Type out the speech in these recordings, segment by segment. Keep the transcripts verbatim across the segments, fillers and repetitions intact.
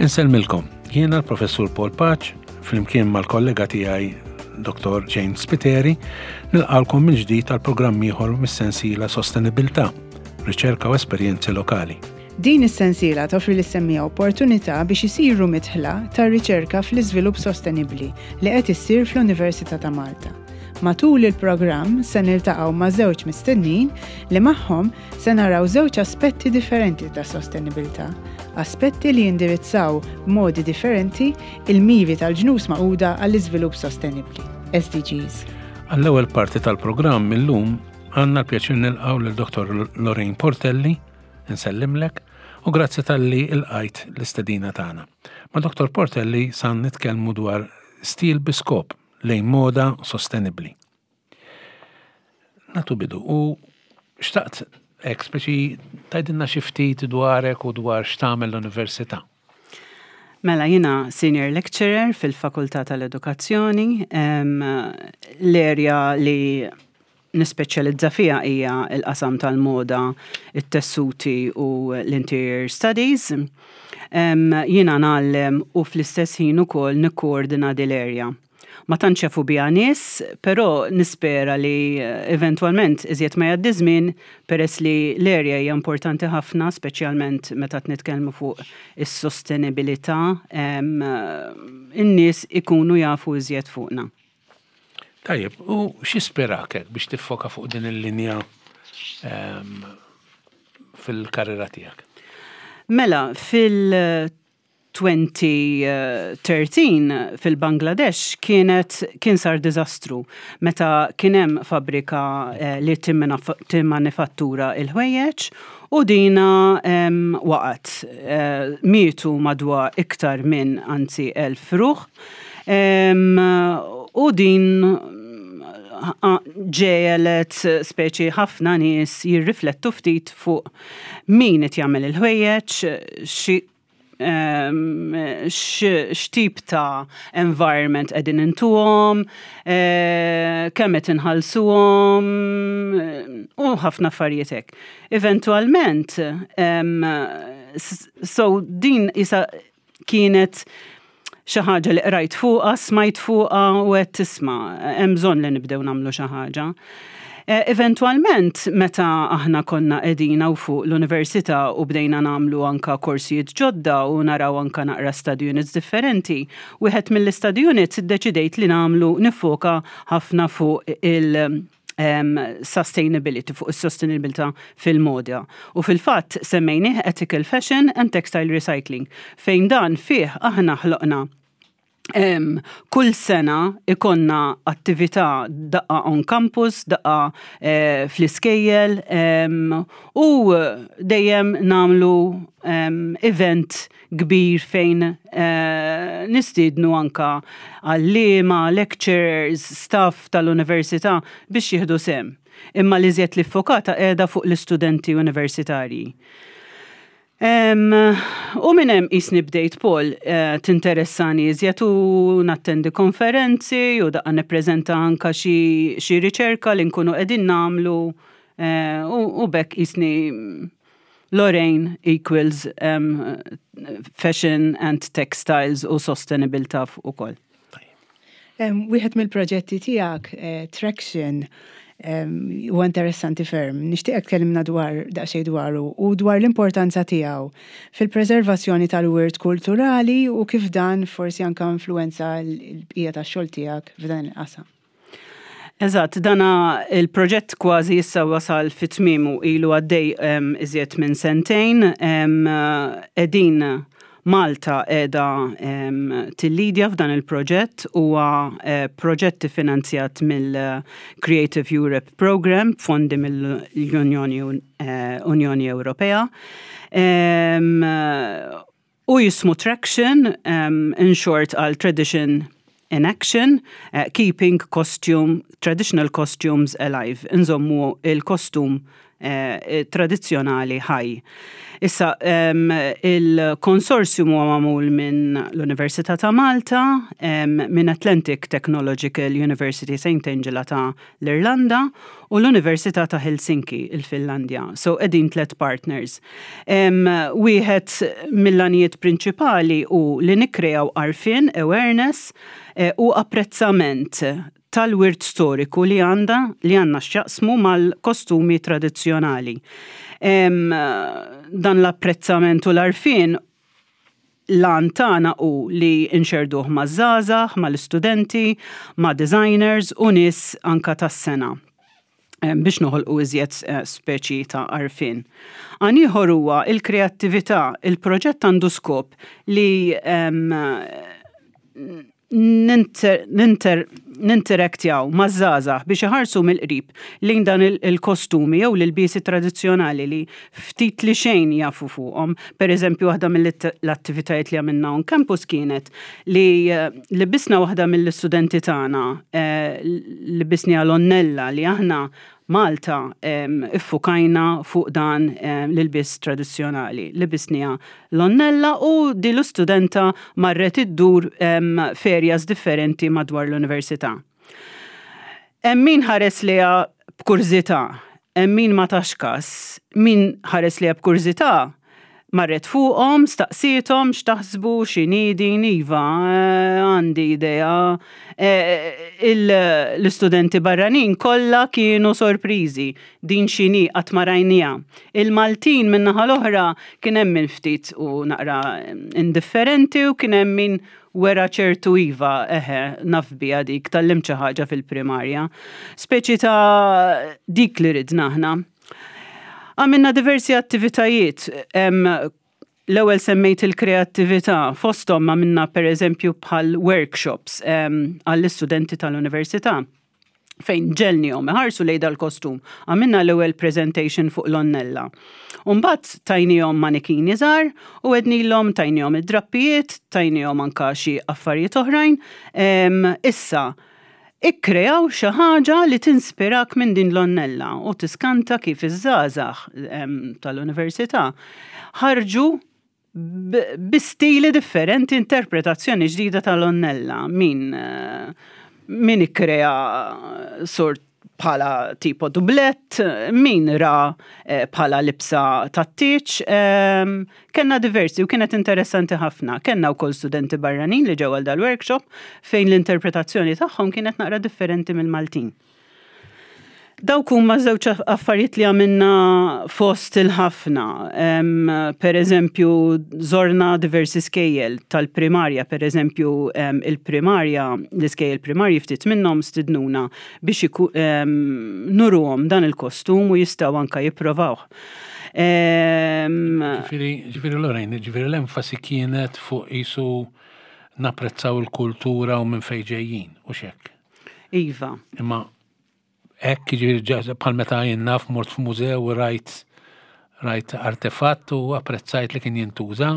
Insellmilkom, jiena l-Professur Paul Pace, flimkien mal-kollega tiegħi Dottor Jane Spiteri, nilqagħkom mill-ġdid għal programm ieħor mis-sensiela Sostenibilità, riċerka u esperjenzi lokali. Din is-sensiela toffri lis-semmiegħa opportunità biex isiru midħla tar-riċerka fl-iżvilupp sostenibbli li qed issir fl-Università ta' Malta. Matul il-programm se niltaqgħu ma' żewġ mistednin li magħhom se naraw żewġ aspetti differenti ta' sostenibilità, aspetti li jindirizzaw b'modi differenti il-miri tal-Ġnus Magħquda għall-iżvilupp sostenibbli, S D Gs. Għall-ewwel parti tal-programm illum għandna l-pjaċir nilqgħu lil Dottor Lorraine Portelli, nsellimlek, u grazzi talli lqajt l-istedina tagħna. Ma' Dottor Portelli san nitkellmu dwar stil bi skop lejn moda sostenibli. Nagħtu bidu u xtaqt hekk speċi tgħidilna xi ftit dwarek u dwar x'tagħmel l-università. Mela, jiena senior lecturer fil-Fakultà tal-Edukazzjoni. L-area li nispeċjalizza fija hija l-qasam tal-moda, it-tessuti u l-interior studies. Jiena ngħallem u fl-istess ħin ukoll nikkoordina dil-area. Ma tantx jafu biha nies, però nispera li eventwalment iżjed ma jgħaddi żmien, peress li l-area hija importanti ħafna, speċjalment meta nitkellmu fuq is-sostenibilità, in-nies ikunu jafu iżjed fuqna. Tajjeb, u x'ispirak biex tiffoka fuq din il-linja fil-karriera tiegħek? Mela, fil-elfejn u tlettax fil-Bangladesh kienet kien sar diżastru meta kien hemm fabbrika eh, li timmanifattura il-ħwejjeġ u dina waqgħet. Eh, mietu madwar iktar minn, anzi, elf ruħ. U din ġegħlet speċi ħafna nies jirriflettu ftit fuq min qed jagħmel il-ħwejjeġ, x'tip ta' environment qegħdin intuhom, eh, kemm qed inħallsuhom u ħafna affarijiet hekk. Eventwalment, so din isa kienet xi ħaġa li qrajt fuqha, smajt fuqha u qed tisma' hemm bżonn li nibdew nagħmlu xi ħaġa. Eh, eventwalment, meta aħna konna qegħdin fuq l-università u bdejna nagħmlu anka korsijiet ġodda u naraw anka naqra study units differenti, wieħed mill-study units iddeċidejt li nagħmlu niffoka ħafna fuq il- um, sustainability, fuq is-sustainability fil-moda. U fil-fatt semmejnih Ethical Fashion and Textile Recycling, fejn dan fih aħna ħloqna Um, kull sena ikollna attività daqqa on campus, daqqa eh, fl-iskejjel um, u dejjem nagħmlu um, event kbir fejn eh, nistiednu anka għalliema, lecturers, staff tal-università biex jieħdu sehem. Imma li żjed li ffokata qiegħda fuq l-istudenti universitarji. Um, u minn hemm jisni bdejt, Paul, uh, tinteressani iżjed u nattendi konferenzi u daqqa nippreżenta anka xi, xi riċerka li nkunu qegħdin nagħmlu uh, u, u b'hekk jisni Lorraine equals um, fashion and textiles u sustainability ukoll. Wieħed mill-proġetti tiegħek, eh, Traction, huwa interessanti ferm. Nixtieqek tkellimna dwar daqsxejn dwaru u dwar l-importanza tiegħu fil-preservazzjoni tal-wirt kulturali u kif dan forsi anka influenza l-bqija tax-xogħol tiegħek f'dan il-qasam. Eżatt, dana il-proġett kważi issa wasal fi tmiemu, ilu għaddej iżjed minn sentejn, qegħdin Malta qiegħda tillidja f'dan il-proġett. Huwa eh, proġett finanzjat mill-Creative Europe Program, fondi mill-Unjoni eh, Unjoni Ewropea. U jismu Traction, in short għal Tradition in Action, uh, keeping costume, traditional costumes alive. Nżommu il-kostum eh, tradizzjonali ħaj. Issa, il-konsorzjum huwa magħmul minn l-Università ta' Malta, minn Atlantic Technological University Saint Angela ta' l-Irlanda u l-Università ta' Helsinki, il-Finlandja. So, qegħdin tlet partners. Wieħed mill-għanijiet prinċipali hu li nikkreaw għarfien, awareness eh, u apprezzament tal-wirt storiku li għanda li għandna x'jaqsmu mal-kostumi tradizzjonali. Dan l-apprezzament u l-għarfien, l-għan tagħna hu li nxerduh ma' żgħażagħ, mal-istudenti, ma' designers u nies anka tas-sengħa biex noħolqu iżjed eh, speċi ta' għarfien. Għan ieħor huwa il-kreattività. Il-proġett għandu skop li ninteraktjaw maż-żgħażagħ biex iħarsu mill-qrib lejn dan il-kostumi jew l-ilbiesi tradizzjonali li ftit li xejn jafu fuqhom. Per eżempju, waħda mill-attivitajiet li għamilna on campus kienet li libbisna waħda mill-istudenti tagħna, eh, libbisnieha l-għonnella, li aħna Malta iffukajna fuq dan l-ilbies tradizzjonali. Libbisnieha l-għonnella u di l-istudenta marret iddur f'areas differenti madwar l-università. Hemm min ħares lejha b'kurżità, hemm min ma tax kas. Min ħares lejha b'kurżità marret fuqhom, staqsiethom x'taħsbu, x'inhi din, iva, eh, għandi idea. Eh, l-istudenti barranin kollha kienu sorpriżi, din x'inhi, qatt ma rajnieha. Il-Maltin min-naħa l-oħra kien hemm min ftit u naqra indifferenti u kien hemm min wera ċertu iva, eħe, naf biha dik, tgħallimt xi ħaġa fil-primarja. Speċi ta' dik li ridna aħna. Għamilna diversi attivitajiet. L-ewwel semmejt il-kreattività, fosthom għamilna per eżempju bħal workshops għall-istudenti tal-università fejn ġegħelniehom iħarsu lejn dal-kostum. Għamilna l-ewwel presentation fuq l-għonnella. Umbagħad tajniehom manikini żgħar u għednielhom, tajniehom id-drappijiet, tajniehom anka xi affarijiet oħrajn. Issa, ikkreaw xi ħaġa li tinspirak minn din l-għonnella u tiskanta kif iż-żgħażagħ tal-università ħarġu bi stili differenti, interpretazzjoni ġdida tal-għonnella. Min eh, min ikkrea sort bħala tipo dublett, min ra eh, bħala libsa tat-tieġ, ehm, kellna diversi u kienet interessanti ħafna. Kellna wkoll studenti barranin li ġew għal dal-workshop fejn l-interpretazzjoni tagħhom kienet naqra differenti mill-Maltin. Dawk huma żewġ affarijiet li għamilna fost il-ħafna. Per eżempju, żorna diversi skejjel tal-primarja, per eżempju, il-primarja, l-iskejjel primarji ftit minnhom stidnuna biex nuruhom dan il-kostum u jistgħu anka jipprovawh. Ġifieri, ġifieri Lorraine, ġifieri l-enfasi kienet fuq jisu napprezzaw il-kultura u minn fejn ġejjin, u hekk. Iva. Imma hekk, ġifieri bħal meta jien naf mort f'mużew u rajt rajt artefatt u apprezzajt li kien jintuża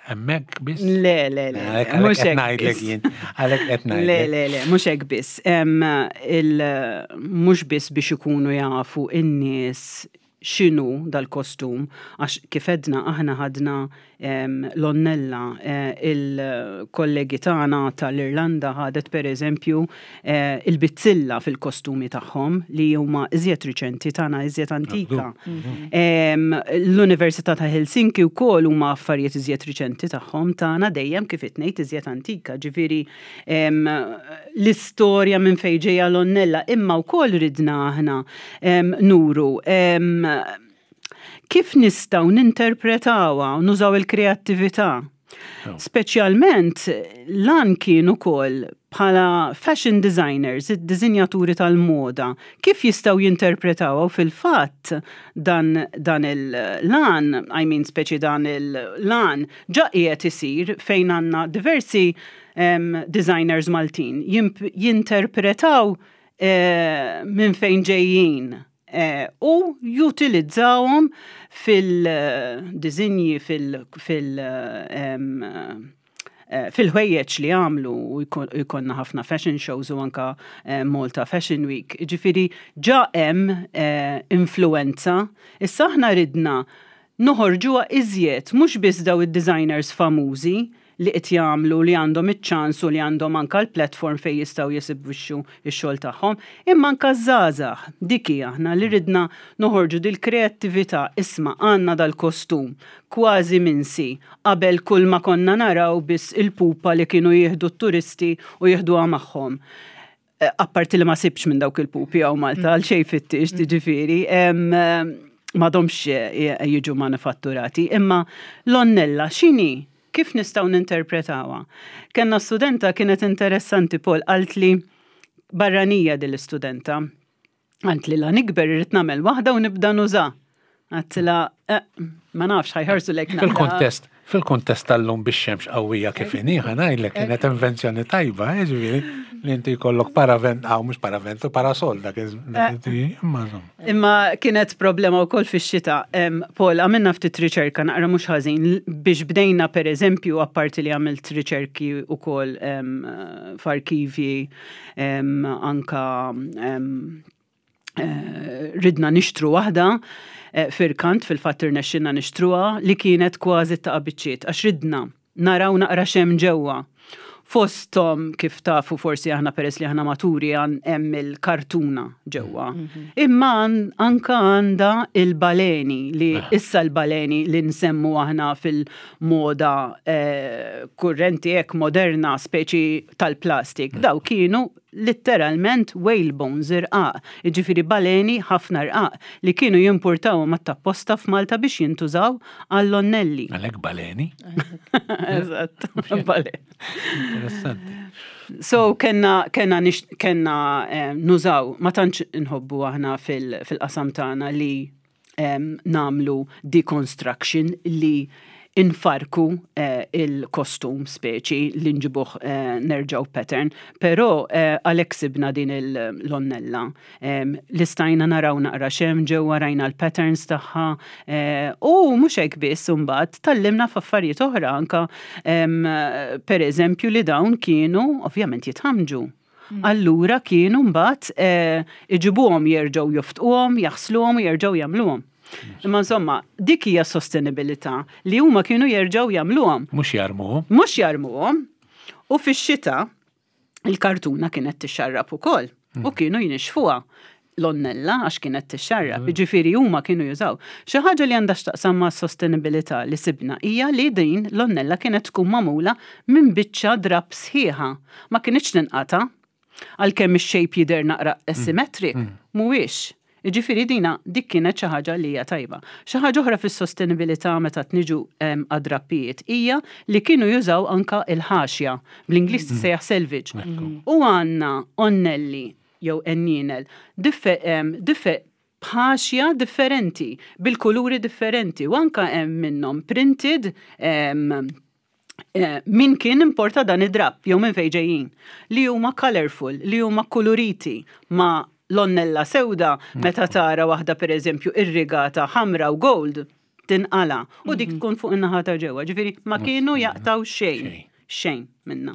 hemmhekk biss? Le, le, le. Mhux hekk ngħidlek jien. Għalhekk qed ngħidlek. Le, le, le, mhux hekk biss. Mhux biss biex ikunu jafu in-nies x'inhu dal-kostum, għax kif għedna aħna ħadna l-għonnella, eh, il-kollegi tagħna tal-Irlanda ħadet per eżempju eh, il-bizzilla fil-kostumi tagħhom li huma iżjed riċenti, tagħna iżjed antika. L-Università ta' Helsinki wkoll huma affarijiet iżjed riċenti tagħhom, tagħna dejjem kif ngħid iżjed antika, ġifieri l-istorja minn fejn ġejja l-għonnella, imma wkoll ridna aħna nuru kif nistgħu ninterpretawha u nużaw il-kreattività. Speċjalment lan kien ukoll bħala fashion designers, id-dizinjaturi tal-moda, kif jistgħu jinterpretaw u fil-fatt dan, dan il-lan, I mean speċi dan il-lan, ġa qiegħed isir fejn għandna diversi um, designers Maltin jinterpretaw uh, minn fejn ġejjin eh, u jutilizzawhom fil-dizinji, fil- fil- eh, fil-ħwejjeġ li għamlu u jkollna ħafna fashion shows u anka eh, Malta Fashion Week. Ġifieri ġa hemm eh, influenza. Issa aħna ridna noħorġuha iżjed, mhux biss daw id-designers famużi li qed jagħmlu, li għandhom iċ-ċans u li għandhom anka l-platform fejn jistgħu jesibixxu x-xogħol tagħhom, imma anka żgħażagħ. Dik hi aħna li ridna noħorġu dil-kreattività. Isma', għandna dal-kostum kważi minsi, qabel kull ma konna naraw biss il-pupa li kienu jieħdu t-turisti u jieħduha magħhom. Eh, apparti li ma sibx minn dawk il-pupi hawn Malta, għal xej fittix, ġifieri, m'għadhomx eh, jiġu manifatturati, imma l-onnella x'inhi? Kif nistgħu ninterpretawha? Kenna studenta kienet interessanti, Paul, qaltli, barranija din l-istudenta, qaltli, "La nikber irrid nagħmel waħda u nibda nuża." Għedtilha, eh, ma nafx, ħa jħarsu lejk. Fil-kontest, fil-kontest tal-lum bix-xemx qawwija kif inhi, ħa ngħidlek kienet invenzjoni tajba, eh, ġifieri li inti jkollok paravent, aw mhux paravent, parasol dak imma insomma. Imma kienet problema wkoll fix-xita. Paul, għamilna ftit riċerka naqra mhux ħażin biex bdejna. Per eżempju, apparti li għamilt riċerki wkoll f'arkivji, anka eh, ridna nixtru waħda eh, firkant, fil-fatt irnexxinna nixtruha, li kienet kważi ta' biċċiet għax ridna naraw naqra x'hemm ġewwa. Fostom, kif tafu forsi aħna peress li aħna maturi, għan hemm il-kartuna ġewwa. Imma anka għandha il-baleni li issa l-baleni li nsemmu aħna fil-moda eh, kurrenti ek moderna, speċi tal-plastik. Daw kienu literalment whale bones irqaq, ġifieri baleni ħafna rqaq li kienu jimportaw mat-tapposta f'Malta biex jintużaw għall-onnelli. Għalhekk baleni. Eżatt, baleni. Interessanti. So kenna, kenna, nix, kenna eh, nużaw, ma tantx nħobbu aħna fil-qasam tagħna li eh, nagħmlu deconstruction, li infarku eh, il-kostum speċi li nġibuh eh, nerġaw pattern, pero eh, għalhekk sibna din l-onnella. Eh, li stajna naraw naqra x'hemm ġewwa, rajna l-patterns tagħha eh, u mhux hekk biss, imbagħad tgħallimna f'affarijiet oħra anka, eh, per eżempju, li dawn kienu ovvjament jitħamġu. Allura kienu mbagħad eh, iġibuhom, jerġgħu joftquhom, jaħsluhom u jerġgħu jagħmluhom. Imma insomma, dik hija sostenibilità, li huma kienu jerġgħu jagħmluhom. Mhux jarmuhom. Mhux jarmuhom. U fix-xita il-kartuna kienet tixxarrab ukoll u kienu jinixfuha l-onnella għax kienet tixxarrab, ġifieri huma kienu jużaw. Xi ħaġa li għandha x'taqsam ma' sostenibilità li sibna hija li din l-onnella kienet tkun magħmula minn biċċa drab sħiħa. Ma kienx tinqata', għalkemm ix-shape jidher naqra asymmetric, mhuwiex. Ġifieri dina dik kienet xi ħaġa li hija tajba. Xi ħaġa oħra fis-sostenibilità meta tniġu għad-drappijiet hija li kienu jużaw anka il-ħaxja, bl-Ingliż tissejjaħ selvage. U għandna onnelli jew enninel b'ħaxja differenti, bil-kuluri differenti, u anka hemm minnhom printed, eh, min kien importa dan id-drap jew minn fejn ġejjin, li huma colorful, li huma koloriti ma l-onnella sewda. Meta tara waħda, per eżempju, irrigata ħamra u gold, tinqala u dik tkun fuq in-naħa ta' ġewwa. Ġifieri ma kienu jaqtaw xejn, xejn minna.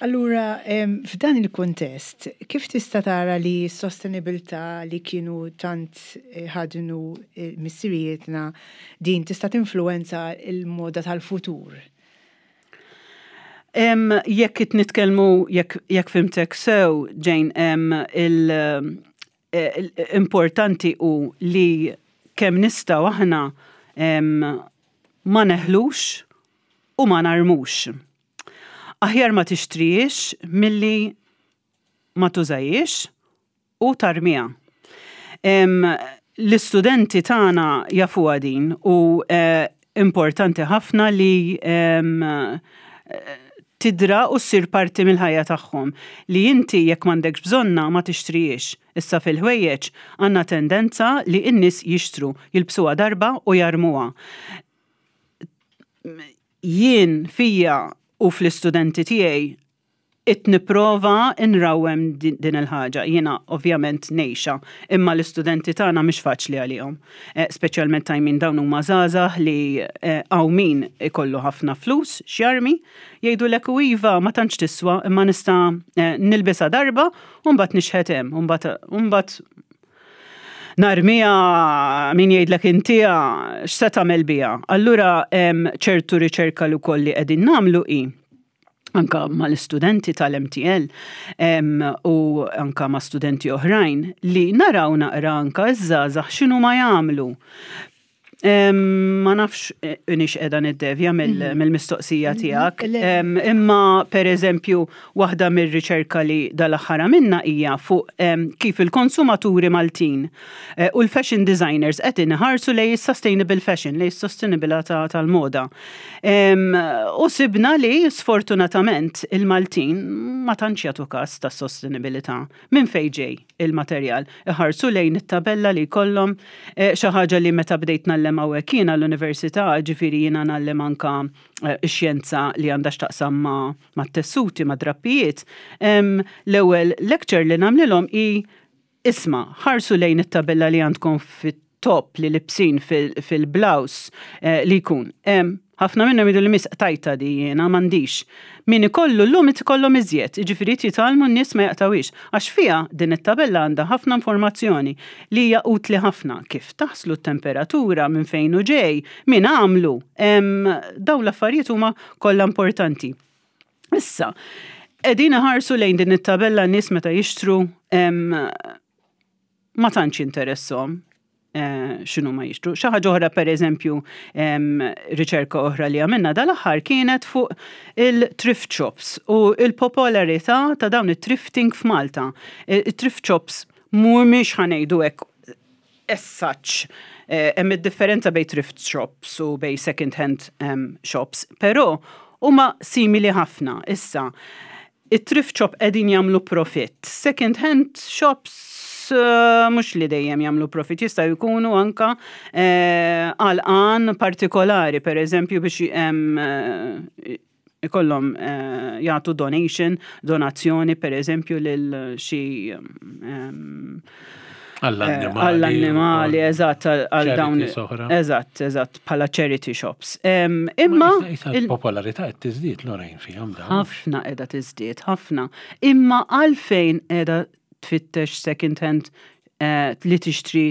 Allura, f'dan il-kontest, kif tista' tara li s-sostenibilità li kienu tant eh, ħadnu eh, missirijietna din tista' tinfluenza il-moda tal-futur? Jekk qed nitkellmu, jekk jekk fhimtek sew, Jane, il-importanti u li kemm nistgħu aħna ma neħlux u ma narmux. Aħjar ma tixtrijiex milli ma tużajiex u tarmija. L-istudenti tagħna jafuha din u eh, importanti ħafna li tidra u ssir parti mill-ħajja tagħhom li inti jekk m'għandekx bżonna ma tixtrijiex. Issa fil-ħwejjeġ għandna tendenza li n-nies jixtru, jilbsuha darba u jarmuha. Jien fija u fl-istudenti tiegħi Qed nipprova nrawwem din il-ħaġa. Jiena ovvjament ngħixha, imma l-istudenti tagħna mhix faċli għalihom. Eh, speċjalment ta' min dawn huma żgħażagħ li eh, hawn min ikollu ħafna flus x'jarmi, jgħidulek u iva ma tantx tiswa imma nista' eh, nilbisha darba u mbagħad nixħet hemm, u mbagħad narmija min jgħidlek intiha x'se tagħmel biha. Allura ċertu riċerka li wkoll li qegħdin nagħmlu hi anka mal-istudenti tal-M T L u anka ma' studenti oħrajn li naraw naqra anka iż-żgħażagħ x'inhu ma jagħmlu. Ma nafx inix qiegħda niddevja mhm. mill-mistoqsija mhm. tiegħek. Imma per eżempju, waħda mir-riċerka li dal-aħħar minna hija fuq kif il-konsumaturi Maltin eh, u l-fashion designers qed inħarsu lejn sustainable fashion, lejn sostenibilità tal-moda. U sibna li sfortunatament il-Maltin ma tantx jagħtu każ tas-sostenibilità. Minn fejn ġej il-materjal? Iħarsu lejn it-tabella li jkollhom, eh, xi ħaġa li meta bdejt ngħallem hawnhekk jiena l-università, ġifieri jiena ngħallem anka eh, x-xjenza li għandha x'taqsam ma' tessuti, ma' drappijiet. L-ewwel lecture li nagħmlilhom hi: isma', ħarsu lejn it-tabella li għandkom fit-top li libsin fil-blouse eh, li jkun. Ħafna minnhom jgħidu li miss tajta di jiena m'għandix. Min ikollu llum ikollhom iżjed, jiġifieri jitgħallmu n-nies ma jaqtawix. Għax fiha din it-tabella għandha ħafna informazzjoni li hija utli ħafna kif taħslu, t-temperatura, minn fejn hu ġej, min għamlu. Dawn l-affarijiet huma kollha importanti. Issa, qegħdin ħarsu lejn din it-tabella n-nies meta jixtru ma tantx interessahom eh, x'inhu ma jixtru. Xi ħaġa oħra, per eżempju, riċerka oħra li għamilna dal-aħħar kienet fuq il-thrift shops u il-popolarità ta' dawn il-thrifting f'Malta. Il-thrift shops mhumiex, ħa ngħidu hekk, as such. Eh, hemm id-differenza bejn thrift shops u bejn second hand shops, però huma simili ħafna. Issa, it-thrift shop qegħdin jagħmlu profit. Second hand shops eh, mhux li dejjem jagħmlu profit, jistgħu jkunu anka eh, għal għan partikolari, per eżempju biex eh, ikollhom jagħtu donation, donazzjoni per eżempju lil xi Għall-annimali. Għall-annimali, eżatt, għal dawn. Eżatt, eżatt, bħala charity shops. Imma il-popolarità qed tiżdied, Lorraine, fihom dawn. Ħafna qiegħda tiżdied, ħafna. Imma għalfejn qiegħda tfittex second hand eh, li tixtri,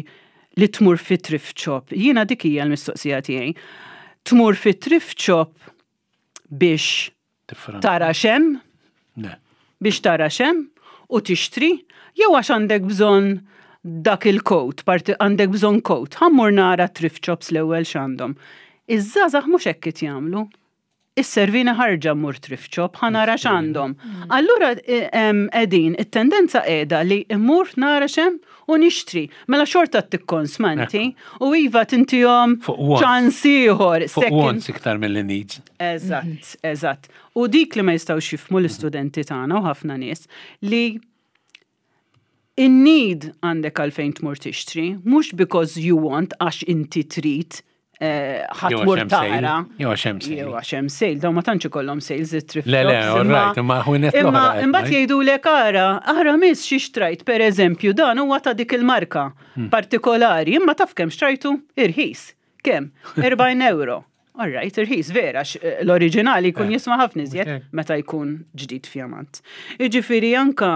li tmur fi thrift shop? Jiena dik hija l-mistoqsija tiegħi. Tmur fi thrift shop biex tara x'hemm? Biex tara x'hemm u tixtri, jew għax għandek bżonn dak il-coat, parti għandek bżonn coat, ħa mmur nara thrift shops l-ewwel x'għandhom? Iż-żgħażagħ mhux hekk qed jagħmlu. Isservini ħarġa mmur thrift shop, ħa nara x'għandhom. Allura qegħdin, it-tendenza qiegħda li mmur nara x'hemm u nixtri. Mela xorta tikkonsma inti u iva tintihom ċans ieħor. Fuq wants iktar mill needs. Eżatt, eżatt. U dik li ma jistgħux jifhmu l-istudenti tagħna u ħafna nies li in-need għandek għalfejn tmur tixtri, mhux because you want, għax inti trid eh, ħa tmur tara. Jew għax hemm sale. Jew għax hemm sale, dawn ma tantx ikollhom sales it-thrift Le, le, all right, imma ħwienet Imma imbagħad jgħidulek: "Ara, ara miss xi xtrajt", per eżempju, dan huwa ta' dik il-marka hmm. partikolari, imma taf kemm xtrajtu? Irħis. Kemm? erbgħin euro. All right, irħis vera, l-oriġinali jkun eh. jiswa ħafna iżjed meta jkun ġdid fjamant. Iġifieri anka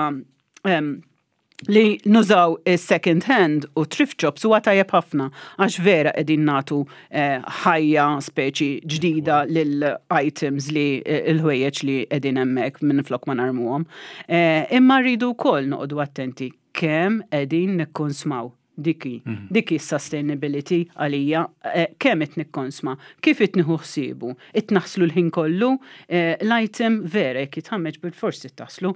li nużaw second hand u thrift shops huwa tajjeb ħafna għax vera qegħdin nagħtu eh, ħajja speċi ġdida lil items li eh, il-ħwejjeġ li qegħdin hemmhekk minn flok ma narmuhom. Eh, imma rridu wkoll noqogħdu attenti kemm qegħdin nikkonsmaw. Diki, mhm. diki sustainability għalija, eh, kemm qed nikkonsma, kif qed nieħu ħsiebu, qed naħslu l-ħin kollu, eh, l-item vera jekk jitħammeġ bil-forsi taħslu,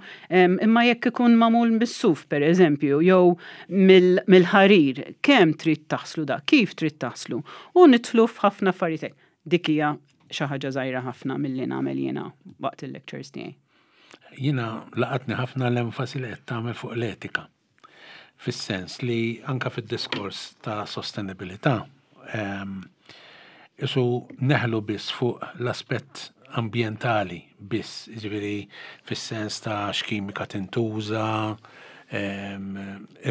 imma jekk ikun magħmul bis-suf per eżempju, jew mill-ħarir, kemm trid taħslu da, kif trid taħslu, u nidħlu f'ħafna affarijiet. Dik hija xi ħaġa żgħira ħafna milli nagħmel jiena waqt il-lectures tiegħi. Jiena laqatni ħafna l-enfasi li qed tagħmel fuq l-etika, fis-sens li anka fid-diskors ta' sostenibilità isu neħlu biss fuq l-aspett ambjentali biss, ġifieri fis-sens ta' x'kimika tintuża,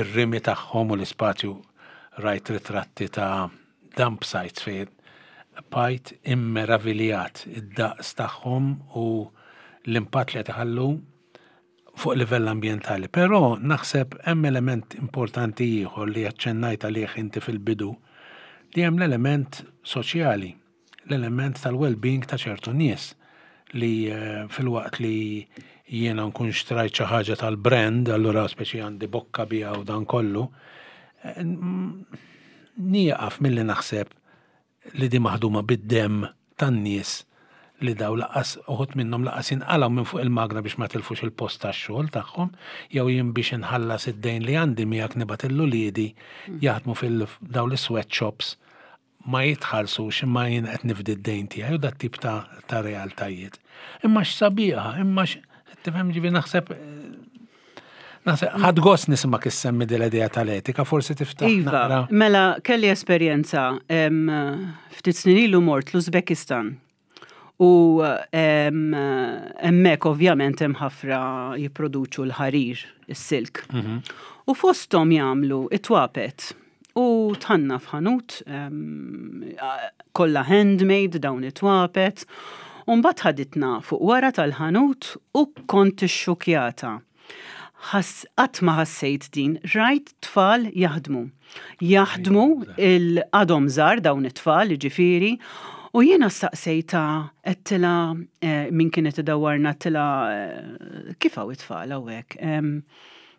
ir-rimi tagħhom u l-ispazju. Rajt ritratti ta' dump sites fejn bqajt immeraviljat id-daqs tagħhom u l-impatt li tħallu fuq livell ambjentali. Però naħseb hemm element importanti ieħor li aċċennajt għalih inti fil-bidu, li hemm l-element soċjali, l-element tal-well-being ta' ċertu nies li eh, filwaqt li jiena nkun xtrajt xi ħaġa tal-brand, allura speċi għandi bokka biha u dan kollu, eh, nieqaf milli naħseb li di maħduma bid-dem tan-nies li daw lanqas uħud minnhom lanqas jinqalgħu minn fuq il-magna biex ma tilfux il-post tax-xogħol tagħhom, jew jien biex inħallas id-dejn li għandi miegħek nibgħat lil uliedi jaħdmu fil-daw l-sweatshops, ma jitħallsux imma jien qed nifdi d-dejn tiegħi u dat tip ta', ta' realtajiet. Imma x'sabiħa, imma tifhem, ġifieri naħseb Naħseb ħadt gost nisma' issemmi dil-idea tal-etika, forsi tiftaħ Iva, naqra. Mela kelli esperjenza em, ftit snin ilu mort l-Uzbekistan. U em, hemmhekk ovvjament hemm ħafna jipproduċu l-ħarir, is-silk. U fosthom jagħmlu it-twapet. U dħalna f'ħanut em, kollha handmade dawn it-twapet. U mbagħad ħaditna fuq wara tal-ħanut u kont ixxukjata. Ħass, qatt ma ħassejt din, rajt tfal jaħdmu. Jaħdmu il-għadhom żgħar dawn it-tfal, ġifieri, u jiena staqsejta, għedtilha eh, min kienet idawwarna, għedtilha eh, kif hawn it-tfal hawnhekk? Em,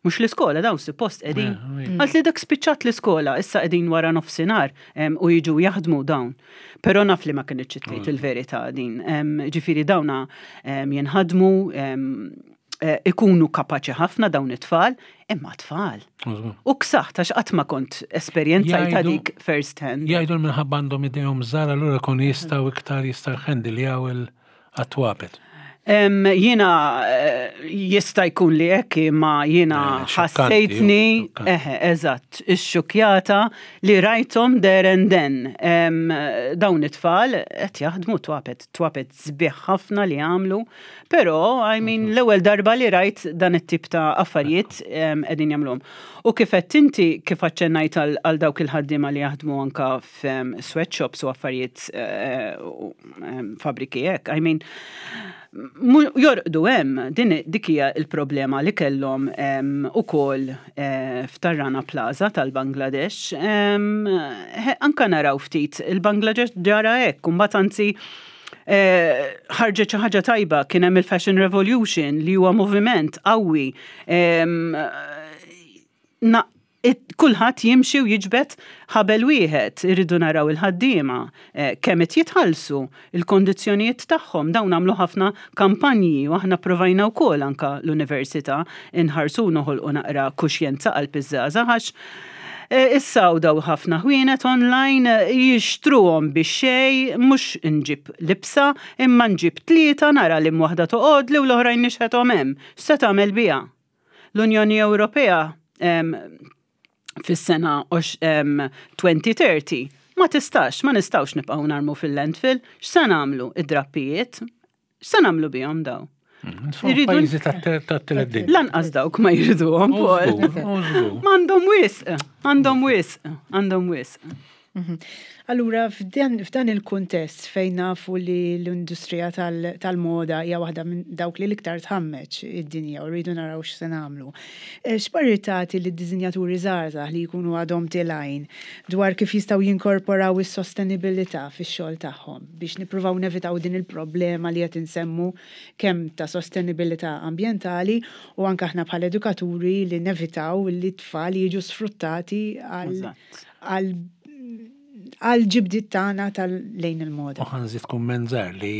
Mhux l-iskola dawn suppost qegħdin? Eh, Qaltli dak spiċċat l-iskola, issa qegħdin wara nofsinhar em, u jiġu jaħdmu dawn. Però naf li ma kinitx tgħid il-verità din. Em, Ġifieri dawna em, jinħadmu, em, eh, ikunu kapaċi ħafna dawn it-tfal, imma tfal. U ksaħt għax qatt ma kont esperjenzajta Jgħidu- dik first hand. Jgħidu minħabba għandhom idejhom żgħar, allura kun jistgħu iktar jistgħu jħendiljaw il-attwapet. Em, Jiena eh, jista' jkun li hekk, imma jiena Eh, xokkanti, ħassejtni, xokkanti. eħe, eżatt, ixxukjata li rajthom there and then. Em, Dawn it-tfal qed jaħdmu twapet, twapet sbieħ ħafna li għamlu, però I mean l-ewwel darba li rajt dan it-tip ta' affarijiet em, qegħdin jagħmluhom. U kif qed inti, kif aċċennajt għal għal dawk il-ħaddiema li jaħdmu anka f'sweatshops u affarijiet eh, u, em, fabriki hekk, I mean, mu- jorqdu hemm, din dik hija il-problema li kellhom em, ukoll eh, f'Tar-Rana Plaza tal-Bangladesh. Em, he- Anka naraw ftit il-Bangladesh ġara hekk, u mbagħad anzi eh, ħarġet xi ħaġa tajba, kien hemm il-Fashion Revolution li huwa moviment qawwi. Em, na, it- kulħadd jimxi u jiġbed ħabel wieħed, irridu naraw il-ħaddiema, eh, kemm qed jitħallsu, il-kondizzjonijiet tagħhom, dawn għamlu ħafna kampanji u aħna provajna wkoll anka l-università inħarsu noħolqu naqra kuxjenza qalb iż-żgħażagħ għax eh, issa u daw ħafna ħwienet online eh, jixtruhom biex xej, mhux nġib libsa, imma nġib tlieta, nara li waħda toqgħod li u l-oħrajn nixħethom hemm. X'se tagħmel biha? L-Unjoni Ewropea em, fis-sena ox- em, elfejn u tletin ma tistax, ma nistawx nibqgħu narmu fil-landfill, x'se nagħmlu id-drappijiet? X'se nagħmlu bihom daw? Irridu- Pajjiżi tat-tielet dinja. Lanqas dawk ma jriduhom, Paul. M'għandhom wisq, għandhom wisq, għandhom wisq. Mhm. Allura, f'dan f'dan il-kuntest fejn nafu li l-industrija tal- tal-moda hija waħda minn dawk li l-iktar tħammeġ id-dinja u rridu naraw x'se nagħmlu. Eh, X'parir tagħti lid-disinjaturi żgħażagħ li jkunu għadhom telgħin dwar kif jistgħu jinkorporaw is-sostenibilità fix-xogħol tagħhom biex nippruvaw nevitaw din il-problema li qed insemmu, kemm ta' sostenibilità ambjentali u anke aħna bħala edukaturi li nevitaw li t-tfal jiġu sfruttati għal Eżatt. għal għal ġibdiet tagħna tal-lejn il-moda? U ħa nżid kumment żgħir li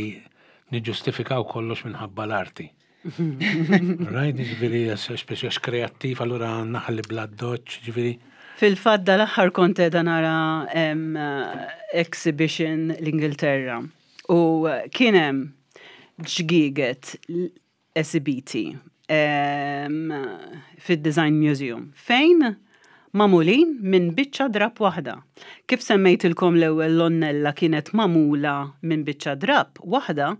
niġġustifikaw kollox minħabba l-arti. Right, ġifieri, speċi għax kreattiv, allura naħli bla doċ, ġifieri. Fil-fatt dal-aħħar kont qiegħda nara em, exhibition l-Ingilterra u kien hemm ġgieget esibiti em, fid-Design Museum fejn magħmulin minn biċċa drap waħda. Kif semmejtilkom l-ewwel, l-onnella kienet magħmula minn biċċa drap waħda,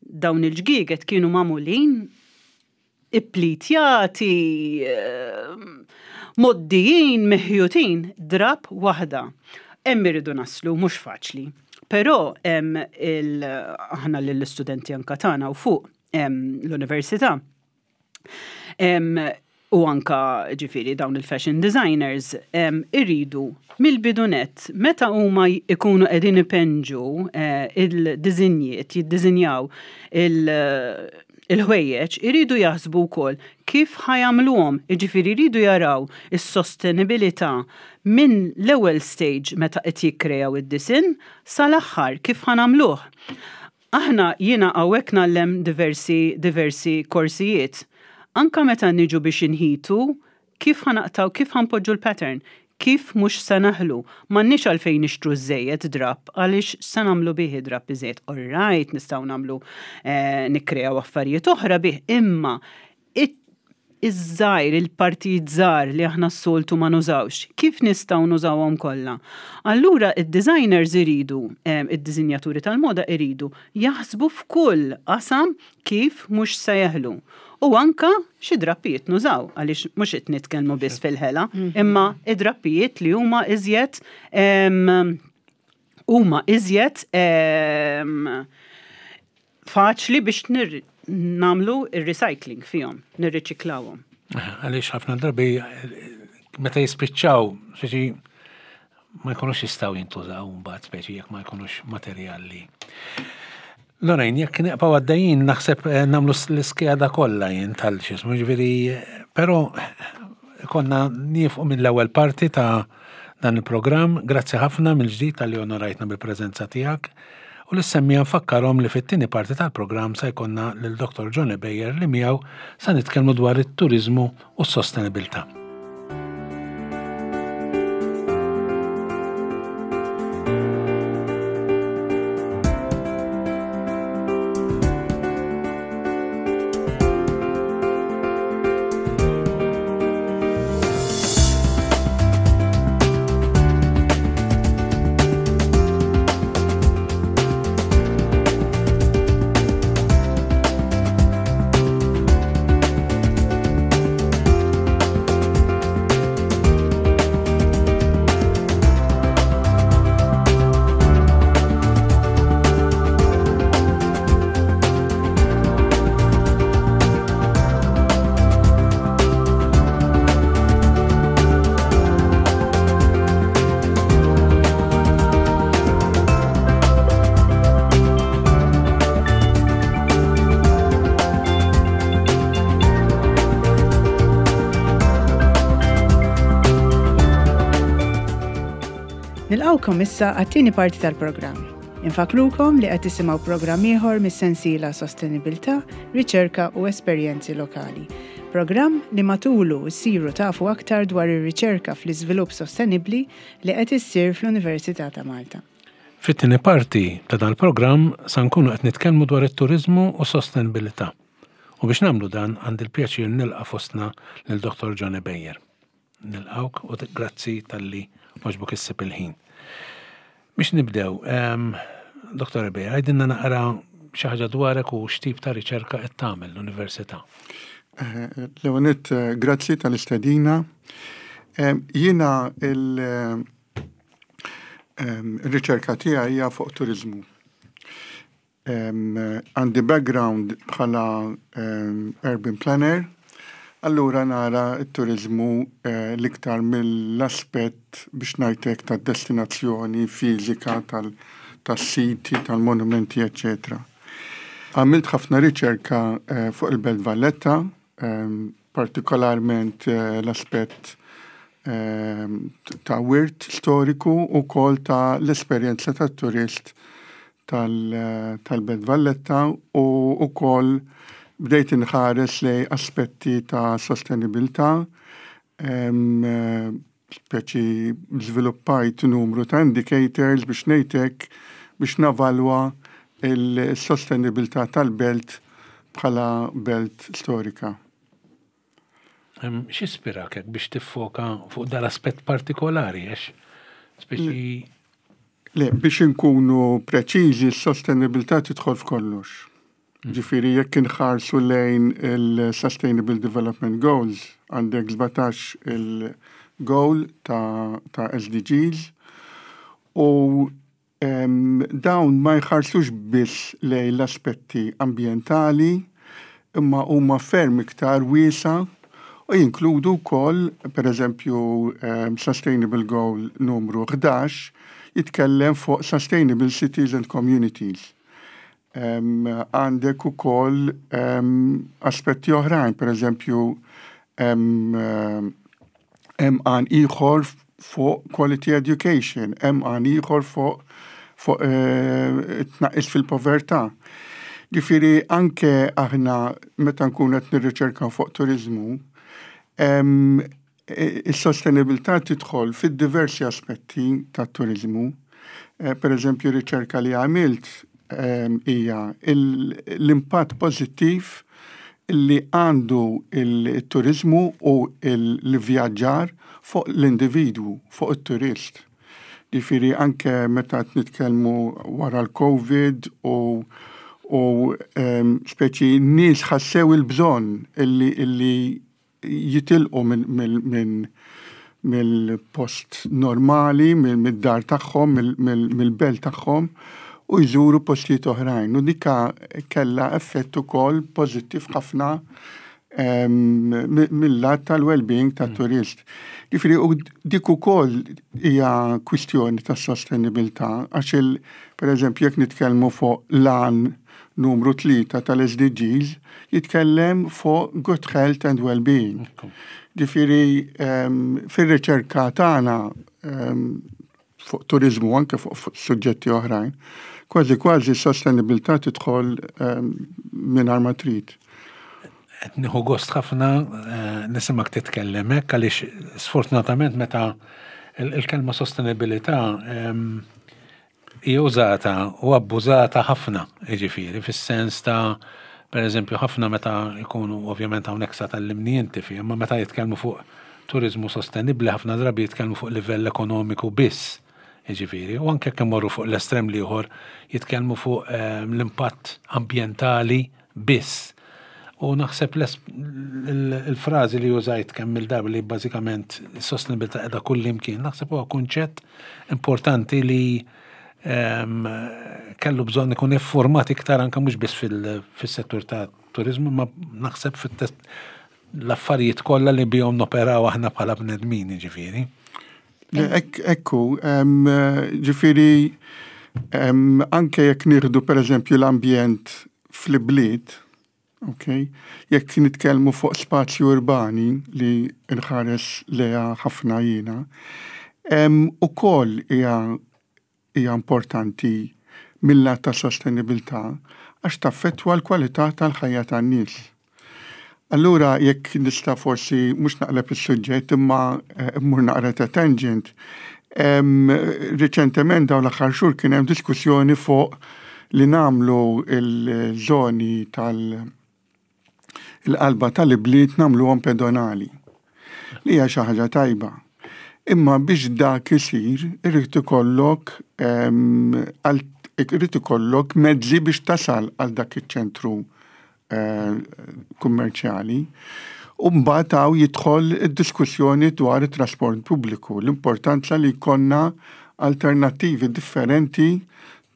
Dawn il-ġgieget kienu magħmulin ipplitjati, eh, mgħoddijin, meħjutin, drab waħda. Hemm irridu naslu, mhux faċli. Però hemm il aħna lill-istudenti anka tagħna u fuq l-università. U anka ġifieri dawn il-fashion designers irridu mill-bidu nett meta huma ikunu qegħdin ipenġu eh, il-dizinjiet, jiddizinjaw il-ħwejjeġ, iridu jaħsbu wkoll kif ħa jagħmluhom, jiġifieri jridu jaraw is-sostenibilità minn l-ewwel stage meta qed jikkrejaw id-disinn sal-aħħar kif ħa nagħmluh. Aħna jiena hawnhekk ngħallem diversi diversi korsijiet. Anka meta niġu biex inħitu, kif ħa naqtgħu, kif ħa npoġġu l-pattern, kif mhux se naħlu. M'għandniex għalfejn nixtru żejjed drab, għaliex se nagħmlu bih drab iżejjed. All right, nistgħu nagħmlu eh, nikkreaw affarijiet oħra bih, imma iż-żgħir, il-partijiet żgħar li aħna s-soltu ma nużawx, kif nistgħu nużawhom kollha? Allura id-designers iridu, eh, id-disinjaturi tal-moda iridu jaħsbu f'kull qasam kif mhux se jeħlu. U anka xi drappijiet nużaw, għaliex mhux qed nitkellmu biss fil-ħela, imma id-drappijiet li huma iżjed huma iżjed faċli biex nagħmlu ir-recycling fihom, nirriċiklawhom. Għaliex ħafna drabi meta jispiċċaw, speċi ma jkunux jistgħu jintużaw mbagħad speċi jekk ma jkunux materjali. Lorraine, jekk neqpaw għaddejjin naħseb eh, nagħmlu l-iskeda kollha jien tal-xismu, ġifieri, però konna niefqu mill-ewwel parti ta' dan il-programm. Grazzi ħafna mill-ġdid talli onorajtna bil-preżenza tiegħek. U lis-semmiegħa nfakkarhom li fit-tieni parti tal-programm se jkollna lil Dottor Johnny Beyer li miegħu se nitkellmu dwar it-turiżmu u s-sostenibilità. Nilqawkom issa għat-tieni parti tal-programm. Infakrukom li qed tisimgħu programm ieħor mis-sensiela Sostenibilità, Riċerka u Esperjenzi Lokali. Programm li matulu ssiru tafu aktar dwar ir-riċerka fl-iżvilupp sostenibbli li qed issir fl-Università ta' Malta. Fit-tieni parti ta' dan il-programm sa nkunu qed nitkellmu dwar it-turiżmu u sostenibilità. U biex nagħmlu dan għandi l-pjaċir nilqa' fostna lil Dottor Johnny Beyer. Nilqawk u grazzi talli għoġbok issib il-ħin. Biex nibdew, Dottor Beyer, għidilna naqra xi ħaġa dwarek u x'tip ta' riċerka qed tagħmel l-università. L-ewwel nett, grazzi tal-istedina. Jiena il-riċerka tiegħi hija fuq turiżmu. Għandi background bħala urban planner, allura nara t-turiżmu l-iktar mill-aspett biex ngħidlek tad-destinazzjoni fiżika tas-siti, tal-monumenti, eċċetera. Għamilt ħafna riċerka fuq il-Belt Valletta, partikolarment l-aspett ta' wirt storiku u kol ta' l-esperjenza tat-turist tal-Belt Valletta u wkoll bdejt inħares lej aspetti ta' sostenibilità, speċi żviluppajt numru ta' indicators biex ngħidlek biex navalwa il-sostenibilità tal-belt bħala belt storika. X'ispirak hekk biex tiffoka fuq dal-aspett partikolari, għax speċi Le, biex inkunu preċiżi, s-sostenibilità tidħol f'kollox. Ġifieri jekk inħarsu lejn il-Sustainable Development Goals, għandek sbatax il-goal ta', ta S D Gs u em, dawn ma jħarsux biss lejn l-aspetti ambientali, imma huma ferm iktar wiesa u jinkludu wkoll, per eżempju, um, Sustainable Goal numru ħdax jitkellem fuq Sustainable Cities and Communities. Għandek ukoll um, aspetti oħrajn, per eżempju, hemm għan ieħor fuq quality education, hemm għan ieħor fuq fuq eh, tnaqqis fil-povertà. Ġifieri anke aħna meta nkunu qed nirriċerkaw fuq turizmu, is-sostenibilità tidħol fid-diversi aspetti tat-turizmu. Eh, per eżempju, riċerka li għamilt hija l-impatt pożittiv li għandu il-turizmu u l-vjaġġar fuq l-individwu, fuq il-turist. Ġifieri anke meta nitkellmu wara l-Covid u u speċi nies ħassew il-bżonn illi, illi jitilqu minn mill-post normali, mill-dar tagħhom, mill-belt tagħhom u jżuru postijiet oħrajn. U dika kella effett ukoll pożittiv ħafna mill-lat tal-well-being tat-turist. Ġifieri u dik ukoll hija kwistjoni ta' sostenibilità, għax il per eżempju, jekk nitkellmu fuq l-għan numru tlieta tal-S D Gs, jitkellem fuq good health and well-being. Ġifieri fir-riċerka tagħna fuq turizmu, anke fuq suġġetti oħrajn, kważi kważi sostenibilità tidħol minn ma trid. Qed nieħu gost ħafna eh, nisimak titkellem hekk, għaliex sfortunatament meta il-kelma sostenibilità hija użata u abbużata ħafna, jiġifieri fis-sens ta', per eżempju, ħafna meta jkunu, ovvjament hawnhekk sa tgħallimni inti fi, imma meta jitkellmu fuq turizmu sostenibli, ħafna drabi jitkellmu fuq livell ekonomiku biss. Jiġifieri, u anke kemm morru fuq l-estrem l-ieħor, jitkellmu fuq l-impatt ambjentali biss. U naħseb il-frażi li użajt kemm il-darba li bażikament sostenibilità qiegħda kull imkien, naħseb huwa kunċett importanti li kellu bżonn ikun iffurmat iktar, anke mhux biss fil-settur ta' turizmu, ma naħseb l-affarijiet kollha li bihom noperaw aħna bħala bnedmin, ġifieri. Ekku, ġifieri anke jekk nieħdu, per eżempju, l-ambjent fl-bliet, ok, jekk nitkellmu fuq spazju urbani li nħares leha ħafna jiena, ukoll hija hija importanti mill-lat ta' sostenibilità għax taffettwa l-kwalità tal-ħajja tan-nies. Allura jekk nista' forsi mhux naqleb is-suġġett, imma eh, mmur naqra ta' tangent. Riċentement, dawn l-aħħar xhur, kien hemm diskussjoni fuq li nagħmlu il-żoni tal- il-qalba tal-ibliet nagħmluhom pedonali. Li hija xi ħaġa tajba. Imma biex dak isir, irid ikollok irid ikollok mezzi biex tasal għal dak iċ-ċentru eh, kummerċjali. U mbagħad hawn jidħol id-diskussjoni dwar it-trasport pubbliku, l-importanza li jkollna alternattivi differenti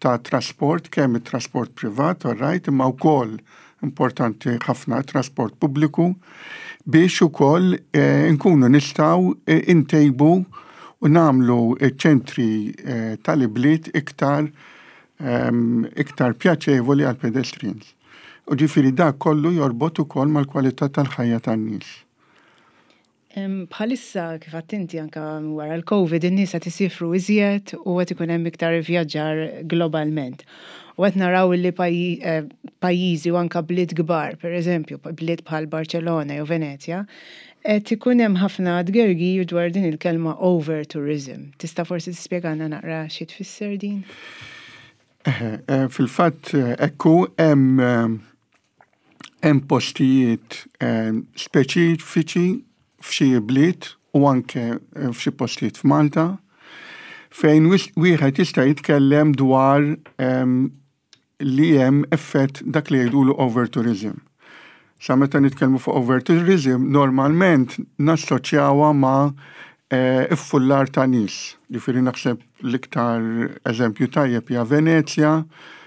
ta' trasport, kemm it-trasport privat, all right, imma wkoll importanti ħafna trasport pubbliku biex ukoll eh, nkunu nistgħu eh, intejbu u nagħmlu ċentri eh, tal-ibliet iktar ehm, iktar pjaċevoli għal pedestrians. U ġifieri dak kollu jorbot ukoll mal-kwalità tal-ħajja tan-nies. Bħalissa, kif għedt inti, anka wara l-Covid, in-nies qed isifru iżjed u qed ikun hemm iktar vjaġġar globalment. U qed naraw li eh, pajjiżi u anka bliet kbar, per eżempju, bliet bħal Barcellona jew Venezja, qed ikun hemm ħafna tgergir dwar din il-kelma over tourism. Tista' forsi tispjegana naqra xi tfisser din? Eh, fil-fatt, ekku, hemm hemm postijiet speċifiċi f'xi bliet u anke f'xi postijiet f'Malta fejn wieħed jista' jitkellem dwar li hemm effett dak li jgħidulu overtourism. Sa meta nitkellmu fuq overtourism, normalment nassoċjawha ma' eh, iffullar ta' nies. Ġifieri naħseb l-iktar eżempju tajjeb hija Venezja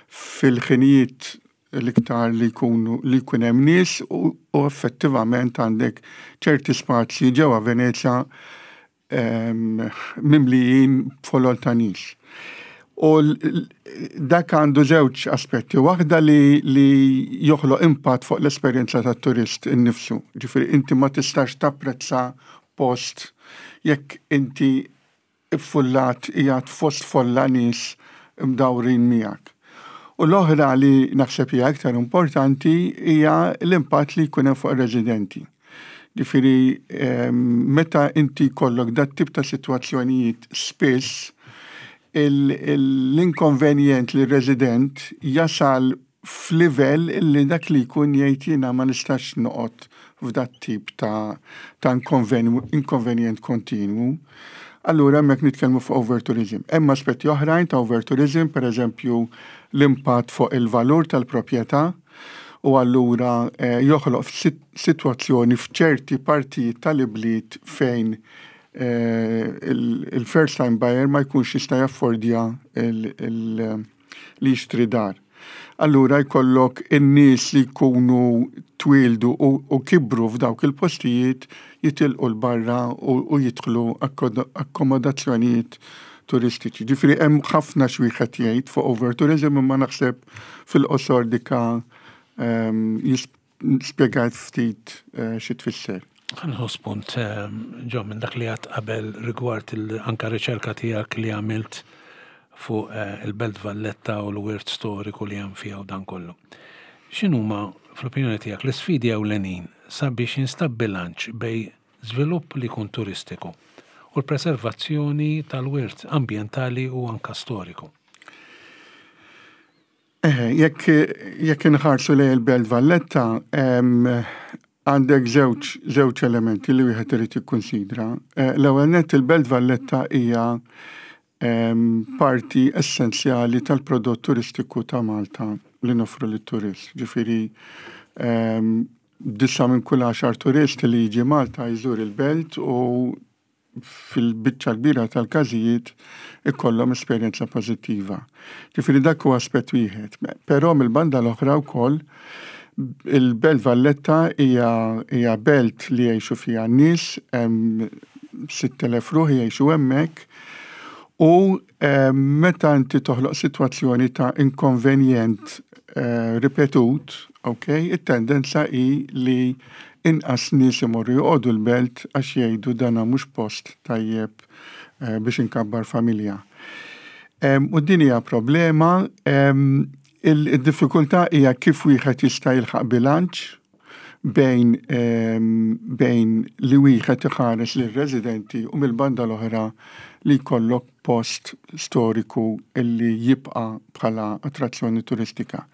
fil-ħinijiet l-iktar li jkunu li jkun hemm nies u, u effettivament għandek ċerti spazji ġewwa Venezja em, mimlijin folol ta' nies. U dak għandu żewġ aspetti. Waħda li, li joħloq impatt fuq l-esperjenza tat-turist innifsu. Ġifieri inti ma tistax tapprezza post jekk inti iffullat qiegħed fost folla nies mdawrin miegħek. U l-oħra li naħseb hija aktar importanti hija l-impatt li jkun hemm fuq ir-residenti. Ġifieri meta inti jkollok dat tip ta' sitwazzjonijiet spiss l-inkonvenjent li resident jasal f'livell li dak li jkun jgħid jiena ma nistax noqgħod f'dat tip ta', ta' inkonvenjent kontinwu. Allura hemmhekk nitkellmu fuq overtourism. Hemm aspetti oħrajn ta' overtourism, per eżempju l-impatt fuq il-valur tal-proprjetà u allura eh, joħloq sitwazzjoni f'ċerti partijiet tal-ibliet fejn eh, il-first time buyer ma jkunx jista' jaffordja li jixtri dar. Allura jkollok in-nies li jkunu twildu u, u kibru f'dawk il-postijiet jitilqu l-barra u, u jidħlu akkomodazzjonijiet turistiċi. Ġifieri hemm ħafna x'wieħed jgħid fuq overtourism imma naħseb fil-qosor dika um, spjegajt ftit uh, xi tfisser. Ħa nieħu spunt, ġo, minn dak li għedt qabel rigward anka riċerka tiegħek li għamilt fuq eh, il-Belt Valletta u l-wirt storiku li hemm fiha u dan kollu. X'inhuma fl-opinjoni tiegħek l-isfidi ewlenin sabiex jinstab bilanċ bejn żvilupp li jkun turistiku u l-preservazzjoni tal-wirt ambjentali u anka storiku? Eh, jekk jekk inħarsu lejn il-Belt Valletta, għandek żewġ żewġ elementi li wieħed irid jikkunsidra. Eh, l-ewwel nett il-Belt Valletta hija parti essenzjali tal-prodott turistiku ta' Malta li noffru lit-turist. Ġifieri disa minn kull għaxar turist li jiġi Malta jżur il-belt u fil-biċċa kbira tal-każijiet ikollhom esperjenza pożittiva. Ġifieri dak huwa aspett wieħed. Però mill-banda l-oħra wkoll il-Belt Valletta hija hija belt li jgħixu fiha n-nies, hemm sitt elef ruħ jgħixu hemmhekk u meta inti toħloq sitwazzjoni ta' inkonvenjent eh, ripetut, ok, it-tendenza hi li inqas nies imorru joqogħdu l-belt għax jgħidu dana mhux post tajjeb eh, biex inkabbar familja. U din hija problema, il-diffikultà hija kif wieħed jista' jilħaq bilanċ bejn bejn li wieħed iħares lir-residenti u mill-banda l-oħra li jkollok post storiku illi jibqa' bħala attrazzjoni turistika.